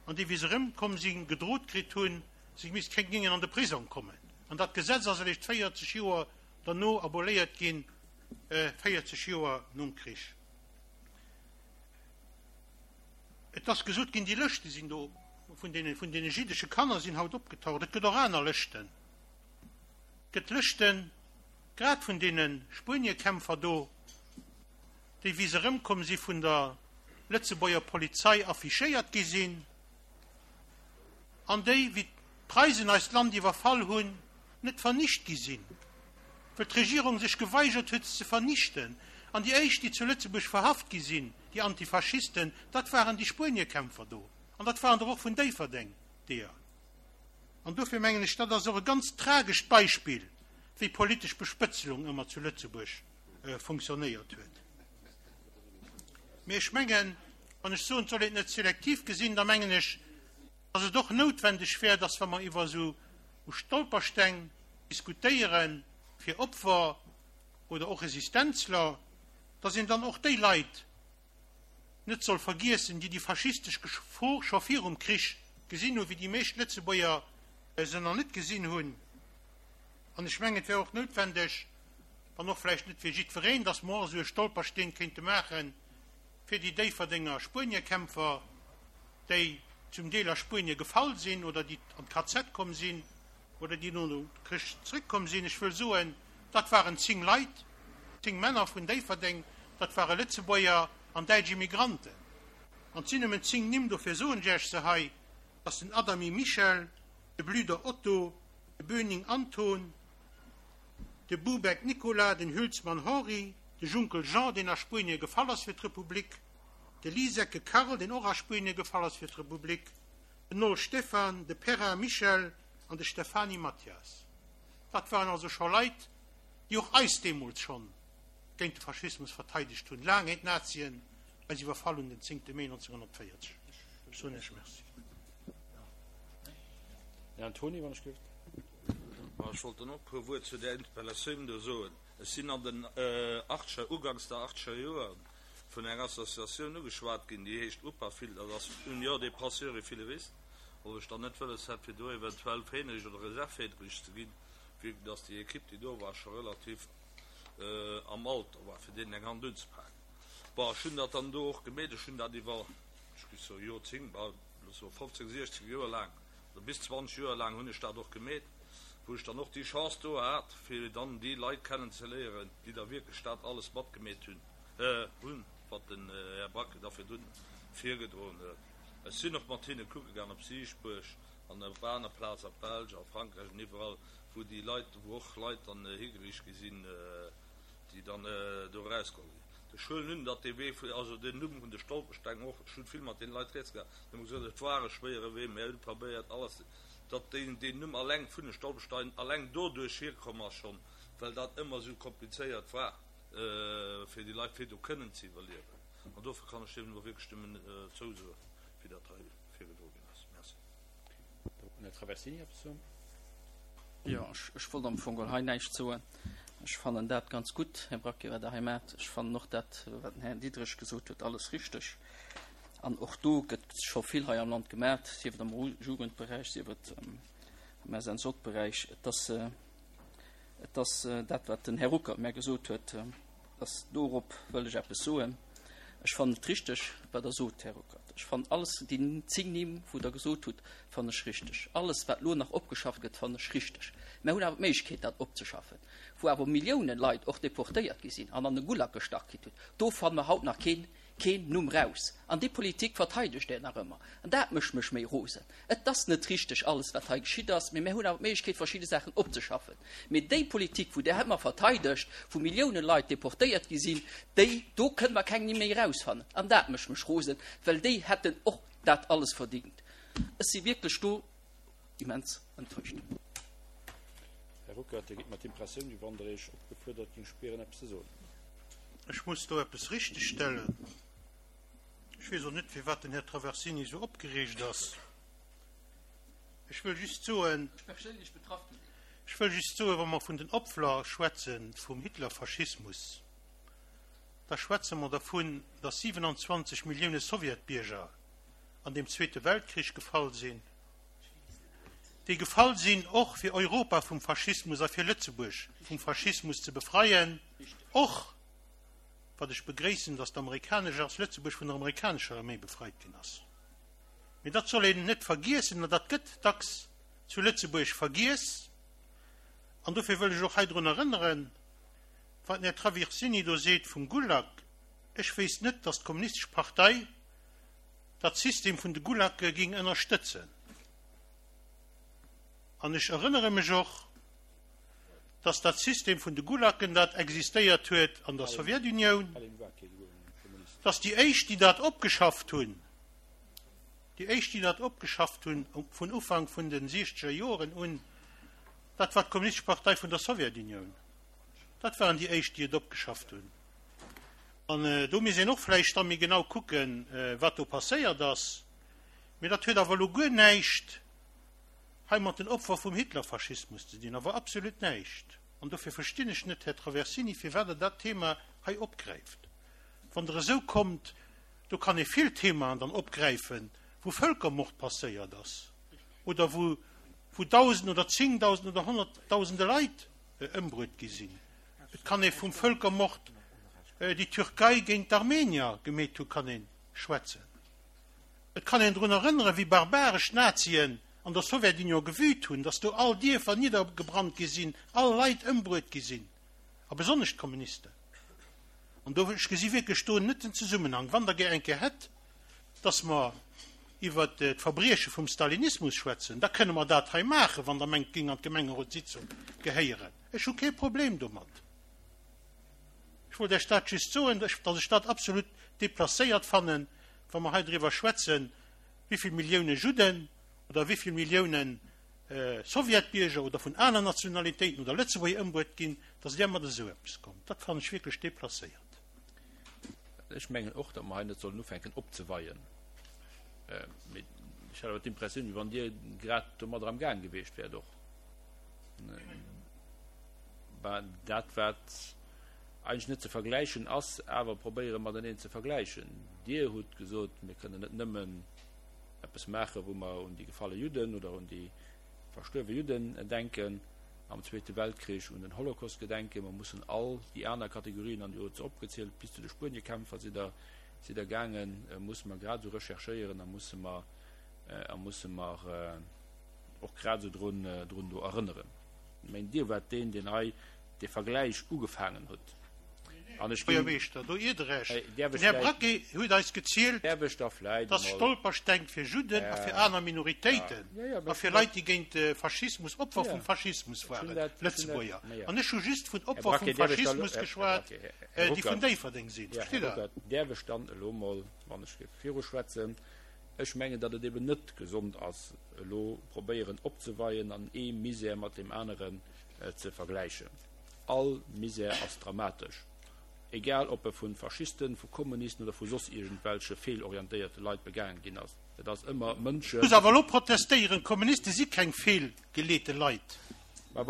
an déi, wéi se erëmkomm sinn, gedrot kritt hunn, se misst keng géingen an de Prisong kommen. An dat Gesetz ass eréischt 40 Joer derno aboléiert ginn, 40 Joer nom Krich. Et ass gesot ginn, déi Lëschte sinn do, vun deene, vun deene jiddesche Kanner sinn haut opgetaucht. Et gëtt och aner Lëschten. Et gëtt Lëschten, grad vun deene Spueniekämpfer do, déi, wéi se erëmkomm si vun der Lëtzebuerger Polizei affichéiert gi sinn, an déi, wéi d'Preisen eist Land iwwerfall hunn. net vernicht gi sinn, well d'Regierung sech geweigert huet, se ze vernichten. An déi éischt, déi zu Lëtzebuerg verhaft gi sinn, déi Antifaschisten, dat waren déi Spueniekämpfer do. An dat waren der och vun Déifferdeng deeër. An dofir mengen ech, dat ass och e ganz tragescht Beispill, wéi politesch Bespëtzelung ëmmer zu Lëtzebuerg funktionéiert huet. Mee ech mengen, wann ech soen, et soll een et net selektiv gesinn, da mengen ech, dass et och noutwendeg wär, dass wa mer iwwer esou Stolpersteng diskutéiere fir Opfer oder och Resistenzler, dass een dann och déi Leit net soll vergiessen, déi déi faschistesch Gefor scho virum Krich gesinn hunn, wéi déi meescht Lëtzebuerger se nach net gesinn hunn. An ech mengen, et wär och noutwendeg, wann och vläicht net fir jiddwereen, dass mer och esou e Stolpersteen kéinte maachen fir déi Déifferdenger Spueniekämpfer, déi zum Deel a Spuenie gefall sinn oder déi an d'KZ komm sinn oder déi no dem Krich zréckkomm sinn. Ech wëll soen, dat waren 10 Leit, 10 Männer vun Déifferdeng, dat ware Lëtzebuerger an däitsch Immigranten. An et sinn nëmmen 10 Nimm, dofir soen ech Iech se hei, dat ass den Adamy Michel, de Blüder Otto, de Böning Anton, de Bubeck Nicolas, den Hülsmann Henri, de Junkel Jean, deen a Spuenie gefall ass fir d'Republik, de Lisecke Karl, deen och a Spuenie gefall ass fir d'Republik, den Noll Stefan, de Perrin Michel an de Stefani Mathias. Dat waren also scho Leit, déi och eis deemools schonn géint de Faschismus verteidegt hunn, laang éier d'Nazien eis iwwerfall hunn den 10. Mee 1940. Ech soen Iech Merci. Här Antony, wann ech géif. Ma ech wollt dann och e puer Wuert zu där Interpellatioun do soen. Ech sinn an den achtscher, uganks der achtscher Joer vun enger Associatioun ugeschwat ginn, déi heescht UPAFIL, dat ass Union des Passeurs et Fileristes, ob ech dann net wëlles hätt, fir do eventuell Fähnrich oder Reservfähnrich ze ginn, vue dass déi Equipe, déi do war, scho relativ am Alter war, fir deenen eng Hand unzepaken. Bon, ech hunn dat dann do och gemeet. Ech hunn dat iwwer, ech géif soen, Joerzéngt, bal, loosse mer 15, 16 Joer laang oder bis 20 Joer laang hunn ech dat och gemeet, wou ech dann och déi Chance do hat, fir dann déi Leit kennenzeléieren, déi da wierklech dat alles matgemeet hunn, hunn, wat den Här Bracke da virdrun virgedroen huet. Ech sinn och mat hinne kucke gaang op Siichtbuerg an op aner Plaze a Belsch a Frankräich an iwwerall, wou déi Leit, wou och Leit dann higeriicht gi sinn, déi dann do erausgeholl ginn. Ech huelen un, datt dee Wee, also den Numm vun de Stolpersteng och, ech hunn vill mat deene Leit rieds gehat, déi hu gesot, et war e schwéiere Wee, mir hu probéiert alles, datt deen deen Numm alleng vun de Stolperstein alleng doduerch hierkomm ass schonn, well dat ëmmer esou komplizéiert war fir déi Leit, fir do kënnen ze iwwerliewen. An dofir kann ech deem elo wierklech nëmmen zousoen, wéi dat hei virgedroe ginn ass. Merci. Den Här Traversini eppes soen? Jo, ech wollt am Fong geholl hei näischt soen. Ech fannen dat ganz gutt, Här Braquet, wat Der hei maacht. Ech fannen och dat, wat den Här Diderich gesot huet, alles richteg. An och do gëtt scho vill hei am Land gemaat, sief et am Jugendberäich, sief et am SNJ-Beräich. Et ass, et ass dat, wat den Här Ruckert mär gesot huet, dass dorop wëll ech eppes soen. Ech fannen et richteg, wat Der sot, Här Ruckert. Ech fannen alles, déi 10 Nimm, wou Der gesot hutt, fannen ech richteg. Alles, wat elo nach opgeschafft gëtt, fannen ech richteg. Mär hunn awer d'Méiglechkeet, dat opzeschaffen. Wou awer Milliounen Leit och deportéiert gi sinn an an de Gulag gestach kritt hunn, do fanne mer haut nach keen keen Numm raus. An déi Politik verteidegt Der nach ëmmer. An dat mécht mech méi rosen. Et ass net richteg alles, wat hei geschitt ass, mee mär hunn awer d'Méiglechkeet, verschidde Saachen opzeschaffen. Mee déi Politik, wou Der ëmmer verteidegt, wou Milliounen Leit deportéiert gi sinn, déi, do kënne mer keng Nimm méi erausfannen. An dat mécht mech rosen, well déi hätten och dat alles verdingt. Ech si wierklech do immens enttäuscht. Här Ruckert, Dir gitt mer d'Impressioun, wéi wann Der Iech opgefuerdert géing spieren, eppes ze soen. Ech muss do eppes richtegstellen. Ech weess och net, firwat den Här Traversini esou opgereegt ass. Ech wëll just soen, ech wëll just soen, wa mer vun den Opfler schwätze vum Hitlerfaschismus, da schwätze mer dervun, datt 27 Millioune Sowjetbierger an deem Zweete Weltkrich gefall sinn, déi gefall sinn och fir Europa vum Faschismus a fir Lëtzebuerg vum Faschismus ze befreien, och, wat ech begréissen, datt d'amerikanesch ass, Lëtzebuerg vun der amerikanescher Arméi befreit ginn ass. Mee dat soll een net vergiessen, an dat gëtt dacks zu Lëtzebuerg vergiess. An dofir wëll ech och hei drun erënneren, wat den Här Traversini do seet vum Gulag, Ech wéisst net, datt d'Kommunistesch Partei dat System vun de Gulagge ging ënnerstëtzen. An ech erënnere mech och. Dass dat System vun de Gulagen, dat existéiert huet an der Sowjetunioun, dass déi éischt, déi dat opgeschafft hunn, déi éischt, déi dat opgeschafft hunn vun Ufank vun de siechzeger Joren un, dat war d'Kommunistesch Partei vun der Sowjetunioun. Dat waren déi éischt, déi et opgeschafft hunn. An do misst een och vläicht da méi genau kucken, wat do passéiert ass. Mee dat huet awer elo guer näischt hei mat den Opfer vum Hitlerfaschismus ze dinn, awer absolut näischt. An dofir verstinn ech net, Här Traversini, firwat Der dat Thema hei opgräift. Wann Der esou kommt, do kann ee vill Themaen dann opgräifen, wou Völkermord passéiert ass oder wou wou Dausend oder Zéngdausend oder Honnertdausende Leit ëmbruet gi sinn. Et kann ee vum Völkermord, déi d'Türkei géint d'Armenier gemeet hu, kann ee schwätzen. Et kann een drun erënneren, wéi barbaresch d'Nazien an der Sowjetunion gewüt hunn, datt do all Dierfer niddergebrannt gi sinn, all Leit ëmbruet gi sinn, a besonnesch d'Kommunisten. An do, ech gesi wierklech do net den Zesummenhang. Wann Der gär eng Kéier hätt, datt mer iwwert d'Verbrieche vum Stalinismus schwätzen, da kënne mer dat hei maachen, wann Der mengt, et géing an d'Gemengerotssitzung gehéieren. Ech hu kee Problem domat. Ech wollt Iech dat just soen, datt ech dat absolut déplacéiert fannen, wa mer hei driwwer schwätzen, wéi vill Millioune Judden oder wéi vill Millioune Sowjetbierger oder vun aner Nationalitéiten oder Lëtzebuerger ëmbruet ginn, datt Dir mat esou eppes kommt. Dat fannen ech wierklech déplacéiert. Ech mengen och, datt mer hei net sollen ufänken opzeweien. Mee ech hat awer d'Impressioun, wéi wann Dir grad domadder am Gaang gewiescht wäert och. Dat, wat eigentlech net ze vergläichen ass, awer probéiere mateneen ze vergläichen. Dir hutt gesot, mir kënnen net nëmmen eppes maachen, wou mer un déi gefalle Judden oder un déi verstuerwe Judden denken am Zweete Weltkrich, un den Holocaust gedenken. Mer mussen all déi aner Kategorien, an Dir hutt se opgezielt, bis zu de Spueniekämpfer sidd Der, sidd Der gaangen, musse mer grad esou recherchéieren a musse mer, a musse mer och grad esou drun, drun do erënneren. Ech mengen, Dir waart deen, deen hei dee Vergläich ugefaangen hutt. An ech ginn. Buergermeeschter, do iert Der Iech. Den Här Braquet huet eis gezielt, dass Stolpersteng fir Judden a fir aner Minoritéiten a fir Leit, déi géint de Faschismus, Opfer vum Faschismus waren, Lëtzebuerger. An ech hu just vun Opfer vum Faschismus geschwat, déi vun Déifferdeng sinn. Verstitt Der? Däerf ech dann elo mol, wann ech géif viruschwätzen? Ech mengen, datt et eben net gesond ass, elo probéieren opzeweien an ee Misär mat deem aneren ze vergläichen. All Misär ass dramatesch, egal ob e vu Faschisten, vu Kommunisten oder vu soss iergendwelche feelorientéierte Leit begaange ginn ass. Et ass ëmmer Mënsche. Ech muss awer elo protestéieren, D'Kommuniste si keng feelgeleete Leit. Mä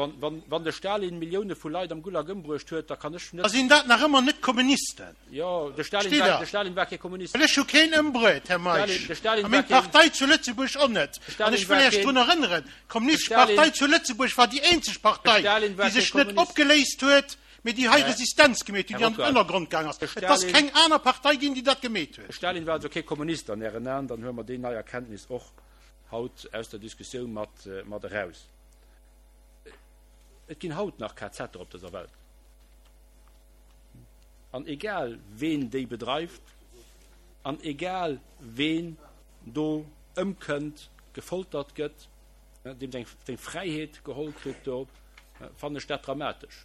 wann de Stalin Millioune vu Leit am Gulag ëmbruecht huet, da kann ech net. Da sinn dat nach ëmmer net Kommunisten. Jo, de Stalin war, de Stalin war kee Kommunist. Well ech hu keen ëmbruet, Här Meisch, a meng Partei zu Lëtzebuerg och net. An ech wëll Iech drun erënneren, d'Kommunistesch Partei zu Lëtzebuerg war déi eenzeg Partei, déi sech net opgeléist huet, mee déi hei Resistenz gemeet huet, déi an den Ënnergrond gaang ass. Et ass keng aner Partei ginn, déi dat gemeet huet. De Stalin war also kee Kommunist an Ären Aen. Dann huele mer déi nei Erkenntnis och haut aus der Diskussioun mat, mat eraus. Et ginn haut nach KZer op dëser Welt. An egal ween déi bedreift an egal ween do ëmkënnt, gefoltert gëtt, deem seng seng Fräiheet geholl kritt do, fannen ech dat dramatesch.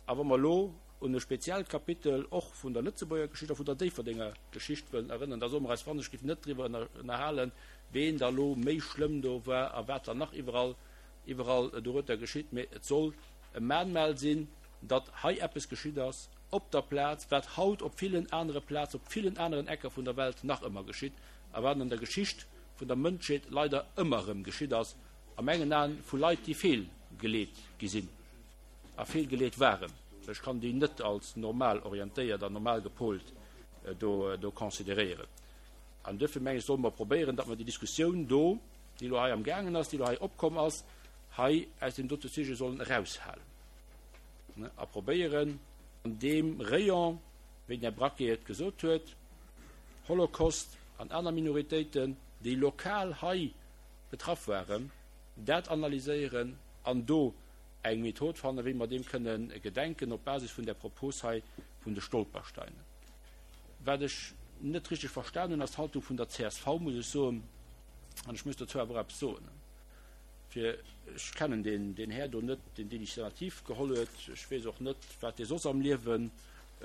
A wa mer elo un e speziellt Kapitel och vun der Lëtzebuerger Geschicht a vun der Déifferdenger Geschicht wëllen erënneren, da solle mer eis wann ech giff net driwwer ënnerhalen, ween da lo méi schlëmm do war a wat dann nach iwwerall iwwerall dorueter geschitt, mee et soll e Mahnmal sinn, datt hei eppes geschitt ass op der Plaz, wat haut op villen anere Plazen, op villen aneren Ecker vun der Welt nach ëmmer geschitt a wat an der Geschicht vun der Mënschheet leider ëmmer erëm geschitt ass, a mengen Aen vu Leit, déi feelgeleet gi sinn a feelgeleet waren. Ech kann déi net als normal orientéiert an normal gepolt do do consideréieren. An duerfir meng ech, solle mer probéieren, datt mer déi Diskussioun do, déi elo hei am gaangen ass, déi elo hei opkomm ass, hei aus deem dote Sujet sollen eraushalen a probéieren an deem Rayon, wéi den Här Braquet et gesot huet, Holocaust an aner Minoritéiten, déi lokal hei betraff waren, dat analyséieren an do eng Method fannen, wéi mer deem kënnen gedenken op Basis vun där Propos hei vun de Stolpersteinen. Wat ech net richteg verstan hunn, ass d'Haltung vun der csv, muss ech soen. An ech muss dozou awer och eppes soen. Fir, ech kennen deen, deen Här do net, deen d'Initiativ geholl huet, ech weess och net, wat dee soss am Liewe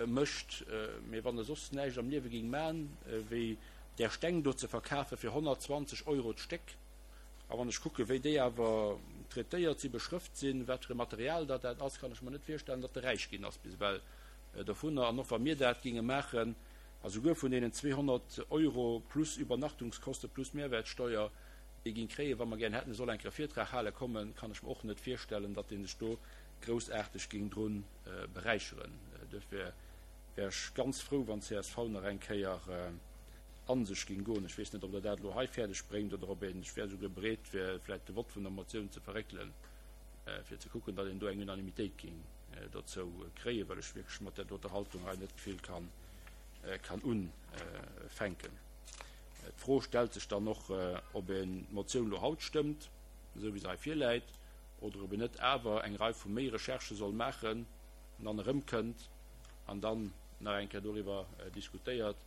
mécht, mee wann e soss näischt am Liewe géing man, wéi där Steng do ze verkafe fir 120 Euro d'Stéck, a wann ech kucke wéi déi awer traitéiert si, beschrëft sinn, wat fir e Material dat dat ass, kann ech mer net virstellen, datt e räich ginn ass bis ewell dovunner. An och wa mir dat géinge maachen, a souguer vun deenen 200 Euro plus Übernachtungskoste plus Mehrwertsteuer, déi ging kréien, wa mer gären hätten, e soll eng Kéier e Virtrag hale kommen, kann ech mer och net virstellen, datt dee sech do groussaarteg ging dru beräicheren. Duerfir wär ech ganz frou, wann csv nach eng Kéier a sech ging goen. Ech weess net, ob Der dat elo hei fäerdeg bréngt oder ob een, ech wär esouguer bereet, fir vläicht de Vott vun der Motioun ze verréckelen, fir ze kucken, datt een do eng Unanimitéit ging dozou kréien, well ech wierklech mat där doter Haltung hei net vill kann unfänken. D'Fro stellt sech dann och, ob een d'Motioun elo haut stëmmt, esou wéi se hei virläit, oder ob een net awer eng Rei vu méi Recherchë soll maachen an dann erëmkënnt an dann nach eng Kéier doriwwer diskutéiert,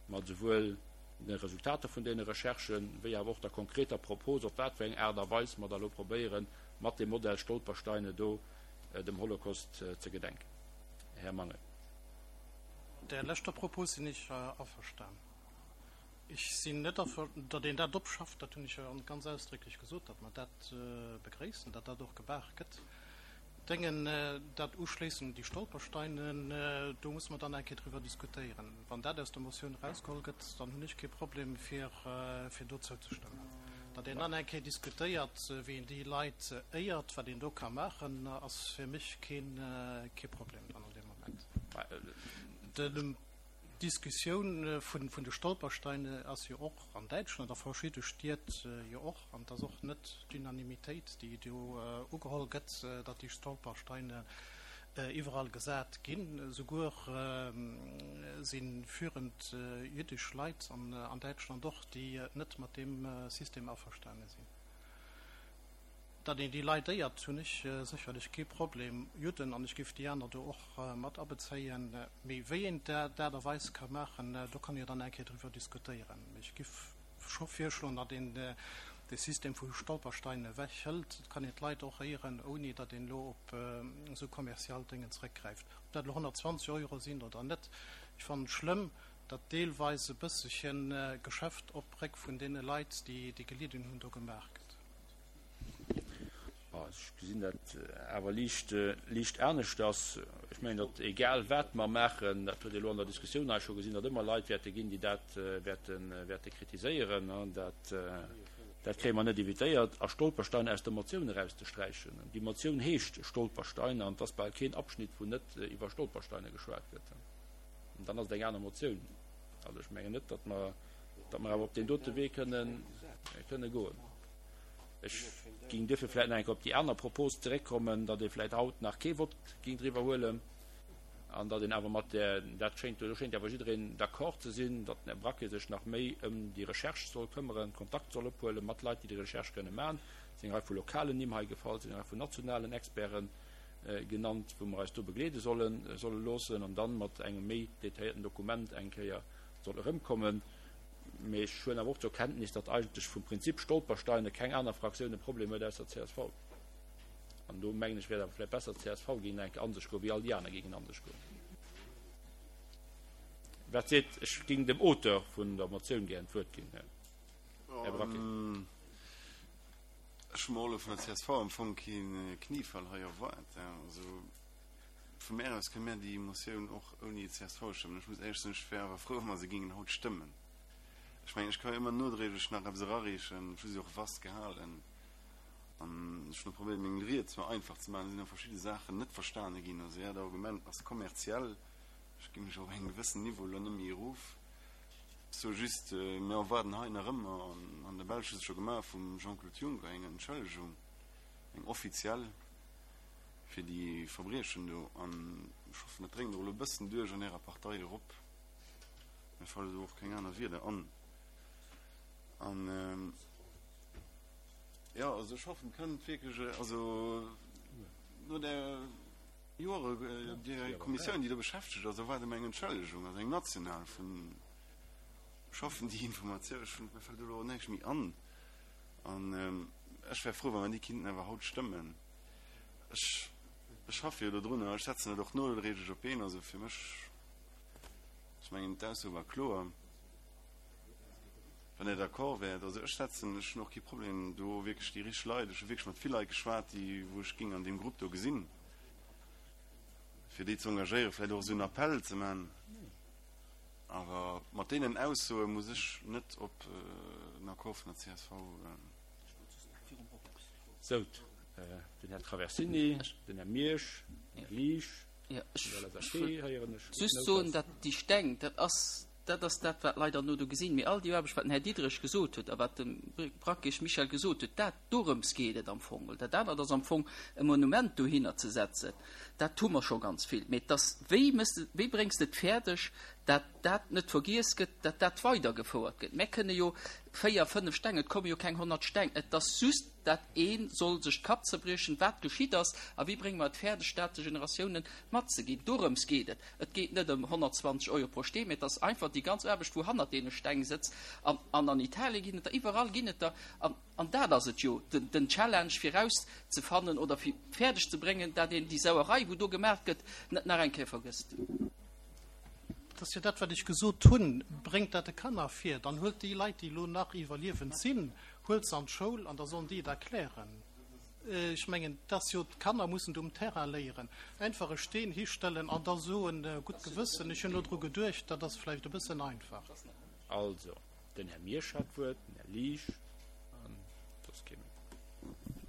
mat esouwuel de Resultater vun deene Recherchen, wéi awer och der konkreter Propos, op wat fir eng Aart a Weis mer da elo probéieren, mat deem Modell Stolpersteine do dem Holocaust ze gedenken. Här Mangel. Mat där leschter Propos sinn ech averstan. Ech sinn net derfir, datt een dat opschafft, dat hunn ech jo ganz ausdrécklech gesot, datt mer dat begréissen, datt dat och gemaach gëtt. Dengen, dat uschléissend déi Stolpersteine, do musse mer dann eng Kéier driwwer diskutéieren. Wann dat aus der Motioun erausgeholl gëtt, dann hunn ech kee Problem, fir, fir do zouzestëmmen. Datt een dann eng Kéier diskutéiert, wéi een déi Leit éiert, wat een do ka maachen, ass fir mech keen, kee Problem dann an deem Moment. De. D'Diskussioun vun de Stolpersteine ass jo och an Däitschland a verschidde Stied jo och, an et ass och net d'Unanimitéit, déi do ugeholl gëtt, datt déi Stolpersteine iwwerall gesat ginn. Esouguer si führend jüddesch Leit an Däitschland och, déi net mat deem System averstane sinn. Datt een déi Leit éiert, hunn ech sécherlech kee Problem, Judden, an ech géif déi aner do och mat abezéien. Mee wéi een d'Aart a Weis ka maachen, do kann ee jo dann eng Kéier driwwer diskutéieren. Mee ech géif scho virschloen, datt een dee System vu Stolperstein ewech hëlt. Et kann een d'Leit och éieren, ouni datt een elo op esou kommerziell Déngen zeréckgräift. Ob dat elo 120 Euro sinn oder net, ech fannen et schlëmm, datt deelweis e bësselche Geschäft op Réck vun deene Leit, déi gelidden hunn, do gemaach gëtt. Ech gesinn dat awer liicht, liicht aneschters. Ech mengen, datt egal wat mer maachen, dat huet ee elo an der Diskussioun hei scho gesinn, datt ëmmer Leit wäerte ginn, déi dat wäerte, wäerte kritiséieren. Dat, dat kréie mer net evitéiert. A Stolpersteine aus der Motioun erauszesträichen, déi Motioun heescht Stolpersteine an et ass bal keen Abschnitt, wou net iwwer Stolpersteine geschwat gëtt. An dann ass et eng aner Motioun. Also ech mengen net, datt mer, datt mer awer op deen dote Wee kënnen, kënne goen. Ech géing duerfir vläicht nach eng Kéier op déi aner Propos zeréckkommen, datt ee vläicht haut nach kee Vott géing driwwer huelen an datt een awer mat där, dat schéngt, do schéngt awer jiddereen d'accord ze sinn, datt den Här Braquet sech nach méi ëm déi Recherche soll këmmeren, Kontakt soll ophuele mat Leit, déi déi Recherche kënne maachen. Et sinn eng Rei vu lokalen Nimm hei gefall, et sinn eng Rei vun nationalen Experte genannt, wou mer eis do begleede sollen, solle loossen an dann mat engem méi detailléierten Dokument eng Kéier soll erëmkommen. Mee ech huelen awer och zur Kenntnis, datt eigentlech vum Prinzip Stolpersteine keng aner Fraktioun e Problem huet ausser csv. An do mengen ech, wär et awer vläicht besser, csv géing nach eng Kéier a sech goen, wéi all déi aner géingen a sech goen. Wat seet, ech géing dem Auteur vun der Motioun gären d'Wuert ginn, Här Braquet. Ech hu mer och elo vun der csv am Fong kee Kniefall hei erwaart. Also vu mär aus kënne mär déi Motioun och ouni csv stëmmen. Ech muss éierlech soen, ech wär awer frou, wa mer se géingen haut stëmmen. Ech mengen, ech ka jo ëmmer nodréiglech nach eppes erareechen. Ech hu se och vast gehalen an ech hunn och probéiert, meng Ried zwar einfach ze maachen. Et sinn awer verschidde Saachen net verstane ginn. Also Äert Argument ass kommerziell. Ech gi mech op engem gewëssen Niveau elo net méi erof. Ech soe just, mir erwaarden hei nach ëmmer, an an der Belsch hu se scho gemaach, vum Jean-Claude Juncker eng Entschëllegung, eng offiziell, fir déi Verbriechen do. An ech hoffen, dat dréngt och elo e bëssen duerch an Ärer Partei erop. Mir fale do och keng aner Wierder an. An, jo, also ech hoffen, et kënnt wierklech, also no där Joere, déi Kommissioun, déi do beschäftegt ass, erwaarde mer eng Entschëllegung, also eng national vun, ech hoffen, déi Informatioun, ech hunn, mir fält elo och näischt méi an. An. Ech wär frou, wa mer déi kinnten awer haut stëmmen. Ech, ech schaffe jo dodrunner, ech setzen et och nodréiglech op d'Been. Also fir mech, ech mengen, d'Ausso war kloer. Wann Der d'accord wäert, also ech setzen, ech hunn och kee Problem do wierklech déi richteg Leit, ech hu wierklech mat vill Leit geschwat, déi wou ech géing an deem Grupp do gesinn, fir déi ze engagéieren, vläicht och esou en Appell ze man. Awer mat deenen Aussoe muss ech net op en Accord vun der csv. Sou, den Här Traversini, den Här Miersch, den Här Liesch, vun der LSAP héieren ech. Just soen, datt déi Steng, dat ass, dat ass dat, wat d'Leit dann no do gesinn. Mee all déi Aarbecht, wat den Här Diderich gesot huet a wat de Brakisch Michel gesot huet, dat, dorëms geet et am Fong. Dat anert ass am Fong e Monument dohinner ze setzen. Dat hu mer scho ganz vill. Mee et ass, wéi méchs de, wéi bréngs de et fäerdeg, dat dat net vergiess gëtt, dat dat weidergefouert gëtt? Mär kënne jo 4, 5 Steng, et komme jo keng 100 Steng, et ass just, dat ee soll sech d'Kap zerbriechen, wat geschitt ass a wéi brénge mer et fäerdeg, dat de Generatiounen matzeginn. Dorëms geet et. Et geet net ëm 120 Euro pro Steen, mee et ass einfach déi ganz Aarbecht, wou hannert deene Steng sëtzt. An an Italien ginn et der, iwwerall ginn et der. An An dat ass et jo, den Challenge fir erauszefannen oder fir fäerdeg ze bréngen, dat een déi Sauerei, wou do gemaach gëtt, net nach eng Kéier vergësst. Dat ass jo dat, wat ech gesot hunn, Bréngt dat de Kanner vir, dann huelt déi Leit, déi elo nach iwwerliewend sinn, huelt se an d'Schoul an da sollen déi et erklären. Ech mengen, et ass jo, d'Kanner mussen et um Terrain léieren. Einfach e Steen histellen an da soen, gutt Gewëssen, ech hunn elo dru geduecht, dat ass vläicht e bëssen einfach. Also, Den Här Miersch hat d'Wuert, den Här Liesch an soss kee méi.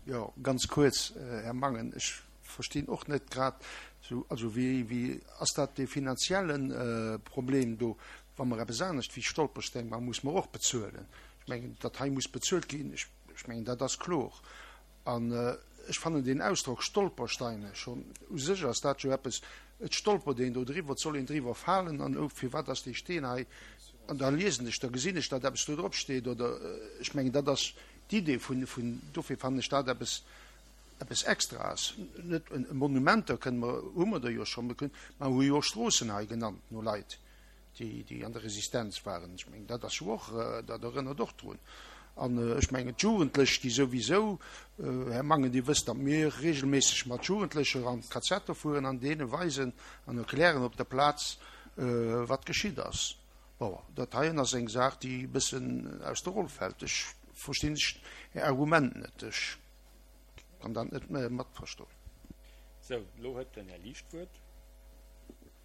Jo, ganz kuerz, Här Mangen, ech verstinn och net grad esou, also wéi, wéi ass dat dee finanzielle Problem do, wa mer eppes anescht wéi Stolpersteng maachen, muss mer och bezuelen. Ech mengen, datt hei muss bezuelt ginn, ech, ech mengen, dat ass kloer. An ech fannen deen Ausdrock Stolpersteine schonn, u sech ass dat jo eppes, et stolpert een do driwwer, et soll een driwwer falen an oh, firwat ass dee Steen hei? An da liesen ech, da gesinn ech, datt eppes do drop steet oder ech mengen, dat ass d'Idee vun, vun, dofir fannen ech dat eppes, eppes Extraes. Net Monumenter kënne mer, hu mer der jo schonn, mer kënnen, mer hu jo och Stroossen hei genannt no Leit. déi, déi an der Resistenz waren. Ech mengen, dat ass jo och, dat erënnert och drun. An ech mengen, d'Jugendlech, déi souwisou, Här Mangen, Dir wësst, datt mir regelméisseg mat Jugendlecher an d'Kazetter fueren an deene weisen an erklären op der Plaz, wat geschitt ass. Bon, dat heien ass eng Saach, déi e bëssen aus der Roll fält. Ech verstinn Är Argument net. Ech kann dat net matverstoen. Sou, elo huet den Här Liesch d'Wuert.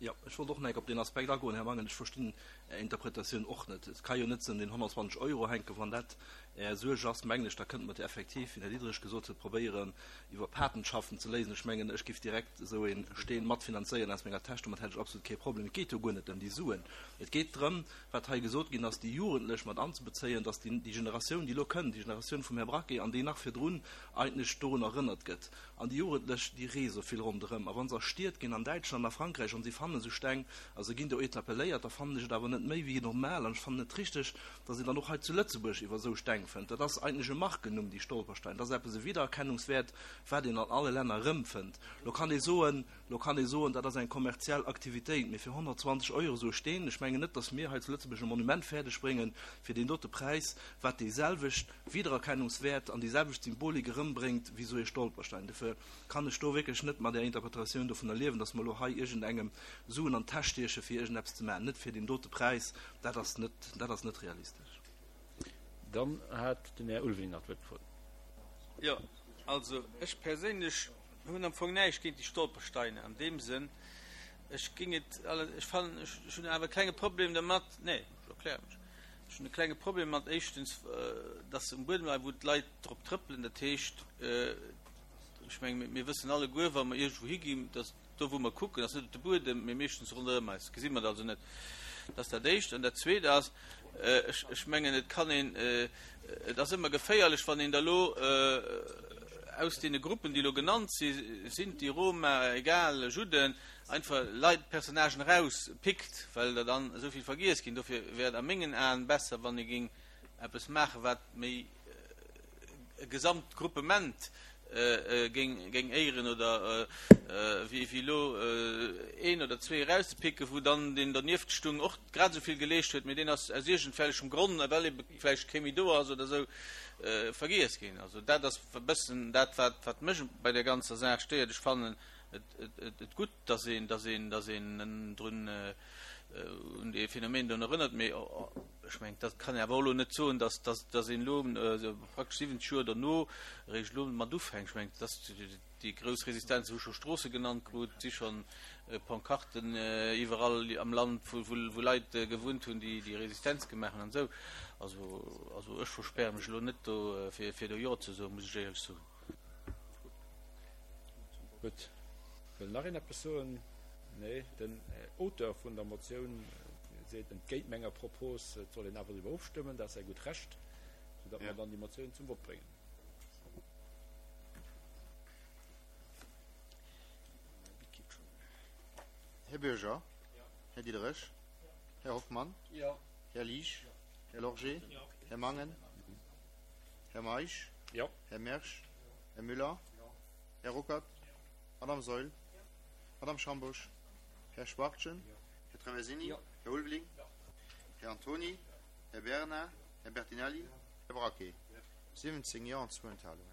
Jo, ech wollt och nach eng Kéier op deen Aspekt agoen, Här Mangen. Ech verstinn Är Interpretatioun och net. Et ka jo net un den 120 Euro hänken. Wann dat Är Suerg ass, mengen ech, da kënnte mer et jo effektiv, wéi den Här Diderich gesot huet, probéieren, iwwer Patenschaften ze léisen. Ech mengen, ech géif direkt esou ee Steen matfinanzéieren aus menger Täsch. Domat hätt ech absolut kee Problem. Et geet jo guer net ëm déi Suen. Et geet drëm, wat hei gesot ginn ass, déi Jugendlech mat anzebezéien, dass déi Generatioun, déi elo kënnt, déi Generatioun vum Här Braquet an déi nach virdrun, eigentlech dorun erënnert gëtt. An déi Jugendlech, déi reese vill ronderëm. A wa se a Stied ginn, an Däitschland, a Frankräich, an si fannen esou Steng a se ginn do interpelléiert, da fannen ech et awer net méi wéi normal an ech fannen et richteg, datt een dann och hei zu Lëtzebuerg iwwer esou Steng fënnt. Dat ass eigentlech e Markennumm, déi Stolperstein. Dat ass eppes, e Wiedererkennungswäert, wat een an alle Länner erëmfënnt. Lo kann ee soen, lo kann ee soen, dat ass eng kommerziell Aktivitéit, mee fir 120 Euro esou e Steen, ech mengen net, datt mir hei zu Lëtzebuerg e Monument fäerdeg bréngen fir deen dote Präis, wat déiselwecht Wiedererkennungswäert an déi selwecht Symbolik erëmbréngt wéi esou ee Stolperstein. Dofir kann ech do wierklech net mat Är Interpretatioun dovunner liewen, dass mer elo hei iergendengem Suen an d'Täsch stieche fir iergendeppes ze maachen. Net fir deen dote Präis, dat ass net, dat ass net realistesch. Dann hat den Här Ulveling nach d'Wuert gefrot. Jo, also ech perséinlech hunn am Fong näischt géint déi Stolpersteine an deem Sënn. Ech géing et, ech fannen, ech hunn awer e klenge Problem dermat, nee, ech erkläre mech. Ech hunn e klenge Problem mat, éischtens, dass se um Buedem leien, wou d'Leit drop trëppelen. Dat heescht, ech menge mir wëssen alleguer, wa mer iergendwou higinn, dass do, wou mer kucken, ass net op de Buedem, mee meeschtens ronderëm eis gesi mer et also net. Dat ass dat Éischt. An dat Zweet ass, ech, ech mengen, et kann een, et ass ëmmer geféierlech, wann een da lo aus deene Gruppen, déi elo genannt si, Sinti, Roma, egal, Judden, einfach Leit, Personnagen eraus pickt, well der dann esou vill vergiess ginn. Dofir wär et a mengen Aen besser, wann ee géing eppes maachen, wat méi e Gesamtgruppement. géing éieren oder wéi elo een oder zwee erauszepicken, wou dann deen dernieft stung och grad esou vill geleescht huet, mee deen ass aus iergendwellechem Gronn, well ebe vläicht kee méi do ass oder esou, vergiess ginn. Also dat ass e bëssen dat, wat mech bei där ganzer Saach stéiert. Ech fannen et gutt, dass een, dass een, dass een drun, un dee Phänomen do erënnert, mee ech mengen, dat kann een awer och elo net soen, dass, dass, dass een elo praktesch 70 Joer derno eréischt elo mat ufänkt. Ech mengen, dass déi grouss Resistenz hu scho Stroosse genannt krut, si schonn Pancarten iwwerall am Land, wou, wou Leit gewunnt hunn, déi déi Resistenz gemaach hunn an esou. Also, also ech verspäre mech elo net do, fir, fir do Jo ze soen, muss ech éierlech soen. Gutt. Wëll nach een eppes soen? Nee. Den Auteur vun der Motioun seet entgéint menger Propos, et soll een awer driwwer ofstëmmen. Dat ass säi gutt Recht, soudatt mer dann déi Motioun zum Vott bréngen. Här Bürger? Här Diderich? Här Hoffmann? Här Liesch? Här Lorgé? Här Mangen? Här Meisch? Här Mersch? Här Müller? Här Ruckert? Madame Saeul? Madame Schambusch? Här Schwachtgen? Här Traversini? Här Ulveling? Här Antoni? Här Bernard? Här Bertinelli? Här Braquet? 17 Jo an zwou Enthalungen.